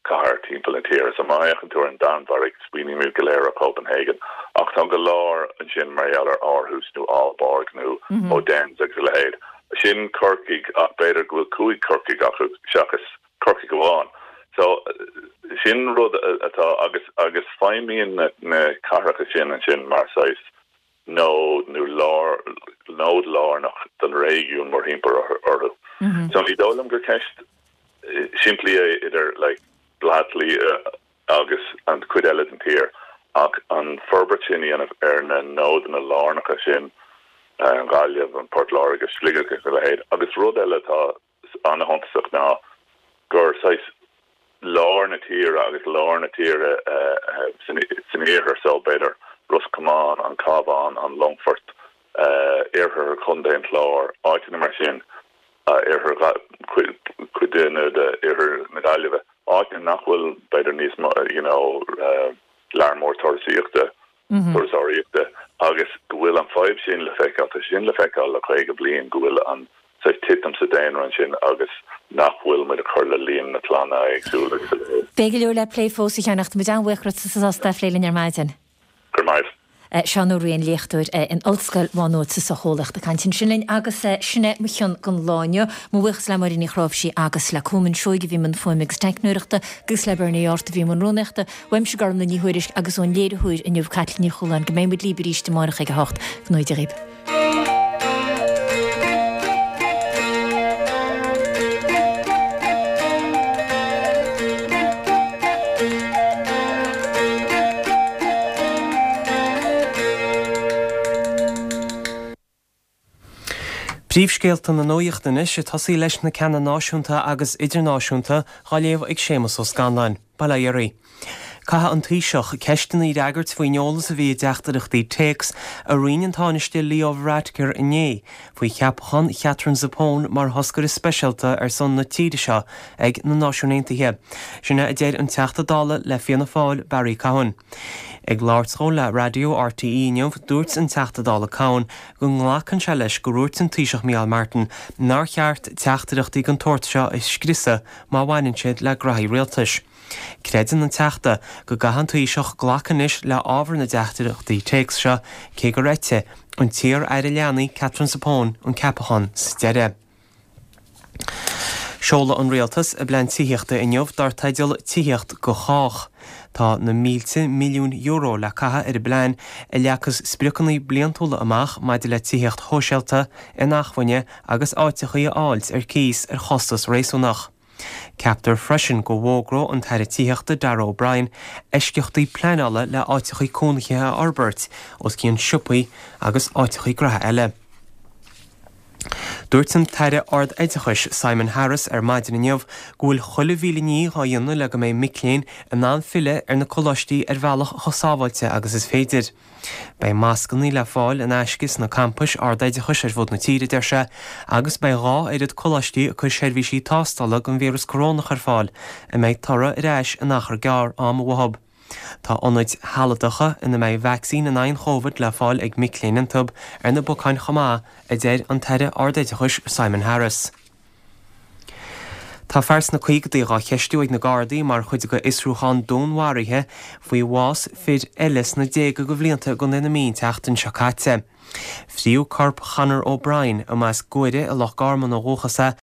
cathair timpeall na tíre. So má fhéachann tú ar an Danmhairg, smaoinímid go léir ar Copenhagen ach tá go leor ansin mar gheall ar Aarhus nó Aalborg nó Odense agus a leithéid. Sin Corcaigh ach b'fhéidir go bhfuil 5 Chorcaigh acu seachas Corcaigh amháin. So sin rud atá agus agus feidhmíonn na na cathracha sin ansin mar saghas nód nó lár nód lárnach don réigiún mórthimpeall orthu. So ní dóigh liom gur ceist simplí é idir like Bleá Cliath agus an chuid eile den tír ach an forbairt sin a dhéanamh ar na nódanna lárnacha sin, an Ghaillimh, an Port Láirge, Sligeach agus a leithéid. Agus rud eile atá an-shuntasach ná gur saghas lár na tíre agus lár na tíre san iarthar so b'fhéidir Ros Comáin, an Cabhán, an Longfort, iarthar Chontae an Chláir, áiteanna mar sin, iarthar cuid de iarthar na Gaillimhe, áiteanna nach bhfuil b'fhéidir níos mó you know lear mór turasaíochta, turasóiríochta agus go bhfuil an fadhb sin le feiceáil, tá sin le feiceáil le 50 bliain go bhfuil an saghas titim sa daonra ansin agus nach bhfuil muid ag cur le líon na clanna éagsúla agus a leithéid. Beidh go leor le plé fós a Sheáin ach tá muid an-bhuíoch as ucht a phlé linn ar maidin. Go raibh maith. Seán Ó Riain, léachtóir in Ollscoil Mhá Nuad sa tSocheolaíocht ag caint ansin linn agus sin é mo chion don lá inniu. Mo bhuíochas le Máire Ní Chráimhsí agus le Colman Seoighe a bhí i mbun fuaime agus teicneoireachta agus le Bernie Art a bhí i mbun rúnaíochta. Uaimse Gormlaith Ní Thuairisg agus ón léiritheoir inniu Caitlín Ní Chualáin go mbeidh muid libh arís amárach ag 8. Go ngnóthaí Dia dhaoibh. Príomhscéalta na nuachta anois, ag tosaí leis na ceanna náisiúnta agus idirnáisiúnta, dhá léamh ag Séamus Ó Scanláin. Bail ó Dhia oraibh. Caithfidh an Taoiseach ceisteanna a fhreagairt faoin eolas a bhí i dteachtaireachtaí téacs a roinn an Tánaiste Leo Varadkar inné faoi cheapachán Chatherine Zappone mar thoscaire speisialta ar son na tíre seo ag na Náisiúin Aontaithe. Sin é a deir an Teachta Dála le Fianna Fáil, Barry Cowen. Ag labhairt dhó le Raidió RTÉ inniu, dúirt an Teachta Dála Cowen go nglacann sé leis go ndúirt an Taoiseach Micheál Martin nár cheart teachtaireachtaí den tsórt seo a scriosadh má bhaineann siad le graithí rialtais. Creideann an Teachta go gcaithfidh an Taoiseach glacadh anois le ábhar na dteachtaireachtaí téacs seo cé gur eitigh an t-iar-aire leanaí Katherine Zappone an ceapachán sa deireadh. Seoladh an Rialtas a bplean tithíochta inniu dar teideal 'Tithíocht do Chách'. Tá na mílte milliún euro le caitheamh ar an bplean a leagfas spriocanna bliantúla amach maidir le tithíocht shóisialta, inacmhainne agus áiteachaí a fháilt ar cíos ar chostas réasúnach. Ceaptar freisin go bhfógróidh an tAire Tithíochta Darragh O'Brien eisceachtaí pleanála le áiteachaí cónaithe a fhorbairt os cionn siopaí agus áiteachaí graithe eile. Dúirt an tAire Ard-Oideachais Simon Harris ar maidin inniu go bhfuil chuile mhíle ní dhá dhéanamh le go mbeidh mic léinn in ann filleadh ar na coláistí ar bhealach chomh sábháilte agus is féidir. Beidh mascanna le fáil in aisce sna campais ardoideachais ar fud na tíre, a deir sé, agus beidh dhá oiread coláistí ag cur seirbhísí tástála don víreas corónach ar fáil, a mbeidh toradh ar ais in achar gearr ama uathu. Tá ionaid shealadacha ina mbeidh vacsaín in aghaidh an Chóivid le fáil ag mic léinn iontu ar na bacáin chomh maith, a deir an tAire Ardoideachais Simon Harris. Tá fear sna caogadaí dhá cheistiú ag na Gardaí mar chuid de fhiosrúchán dúnmharaithe faoi bhás fir eile sna déaga de bhlianta i gContae na Mí an tseachtain seo caite. Fríodh corp Chonor O'Brien, a mba as Guaire i Loch Garman ó dhúchas é.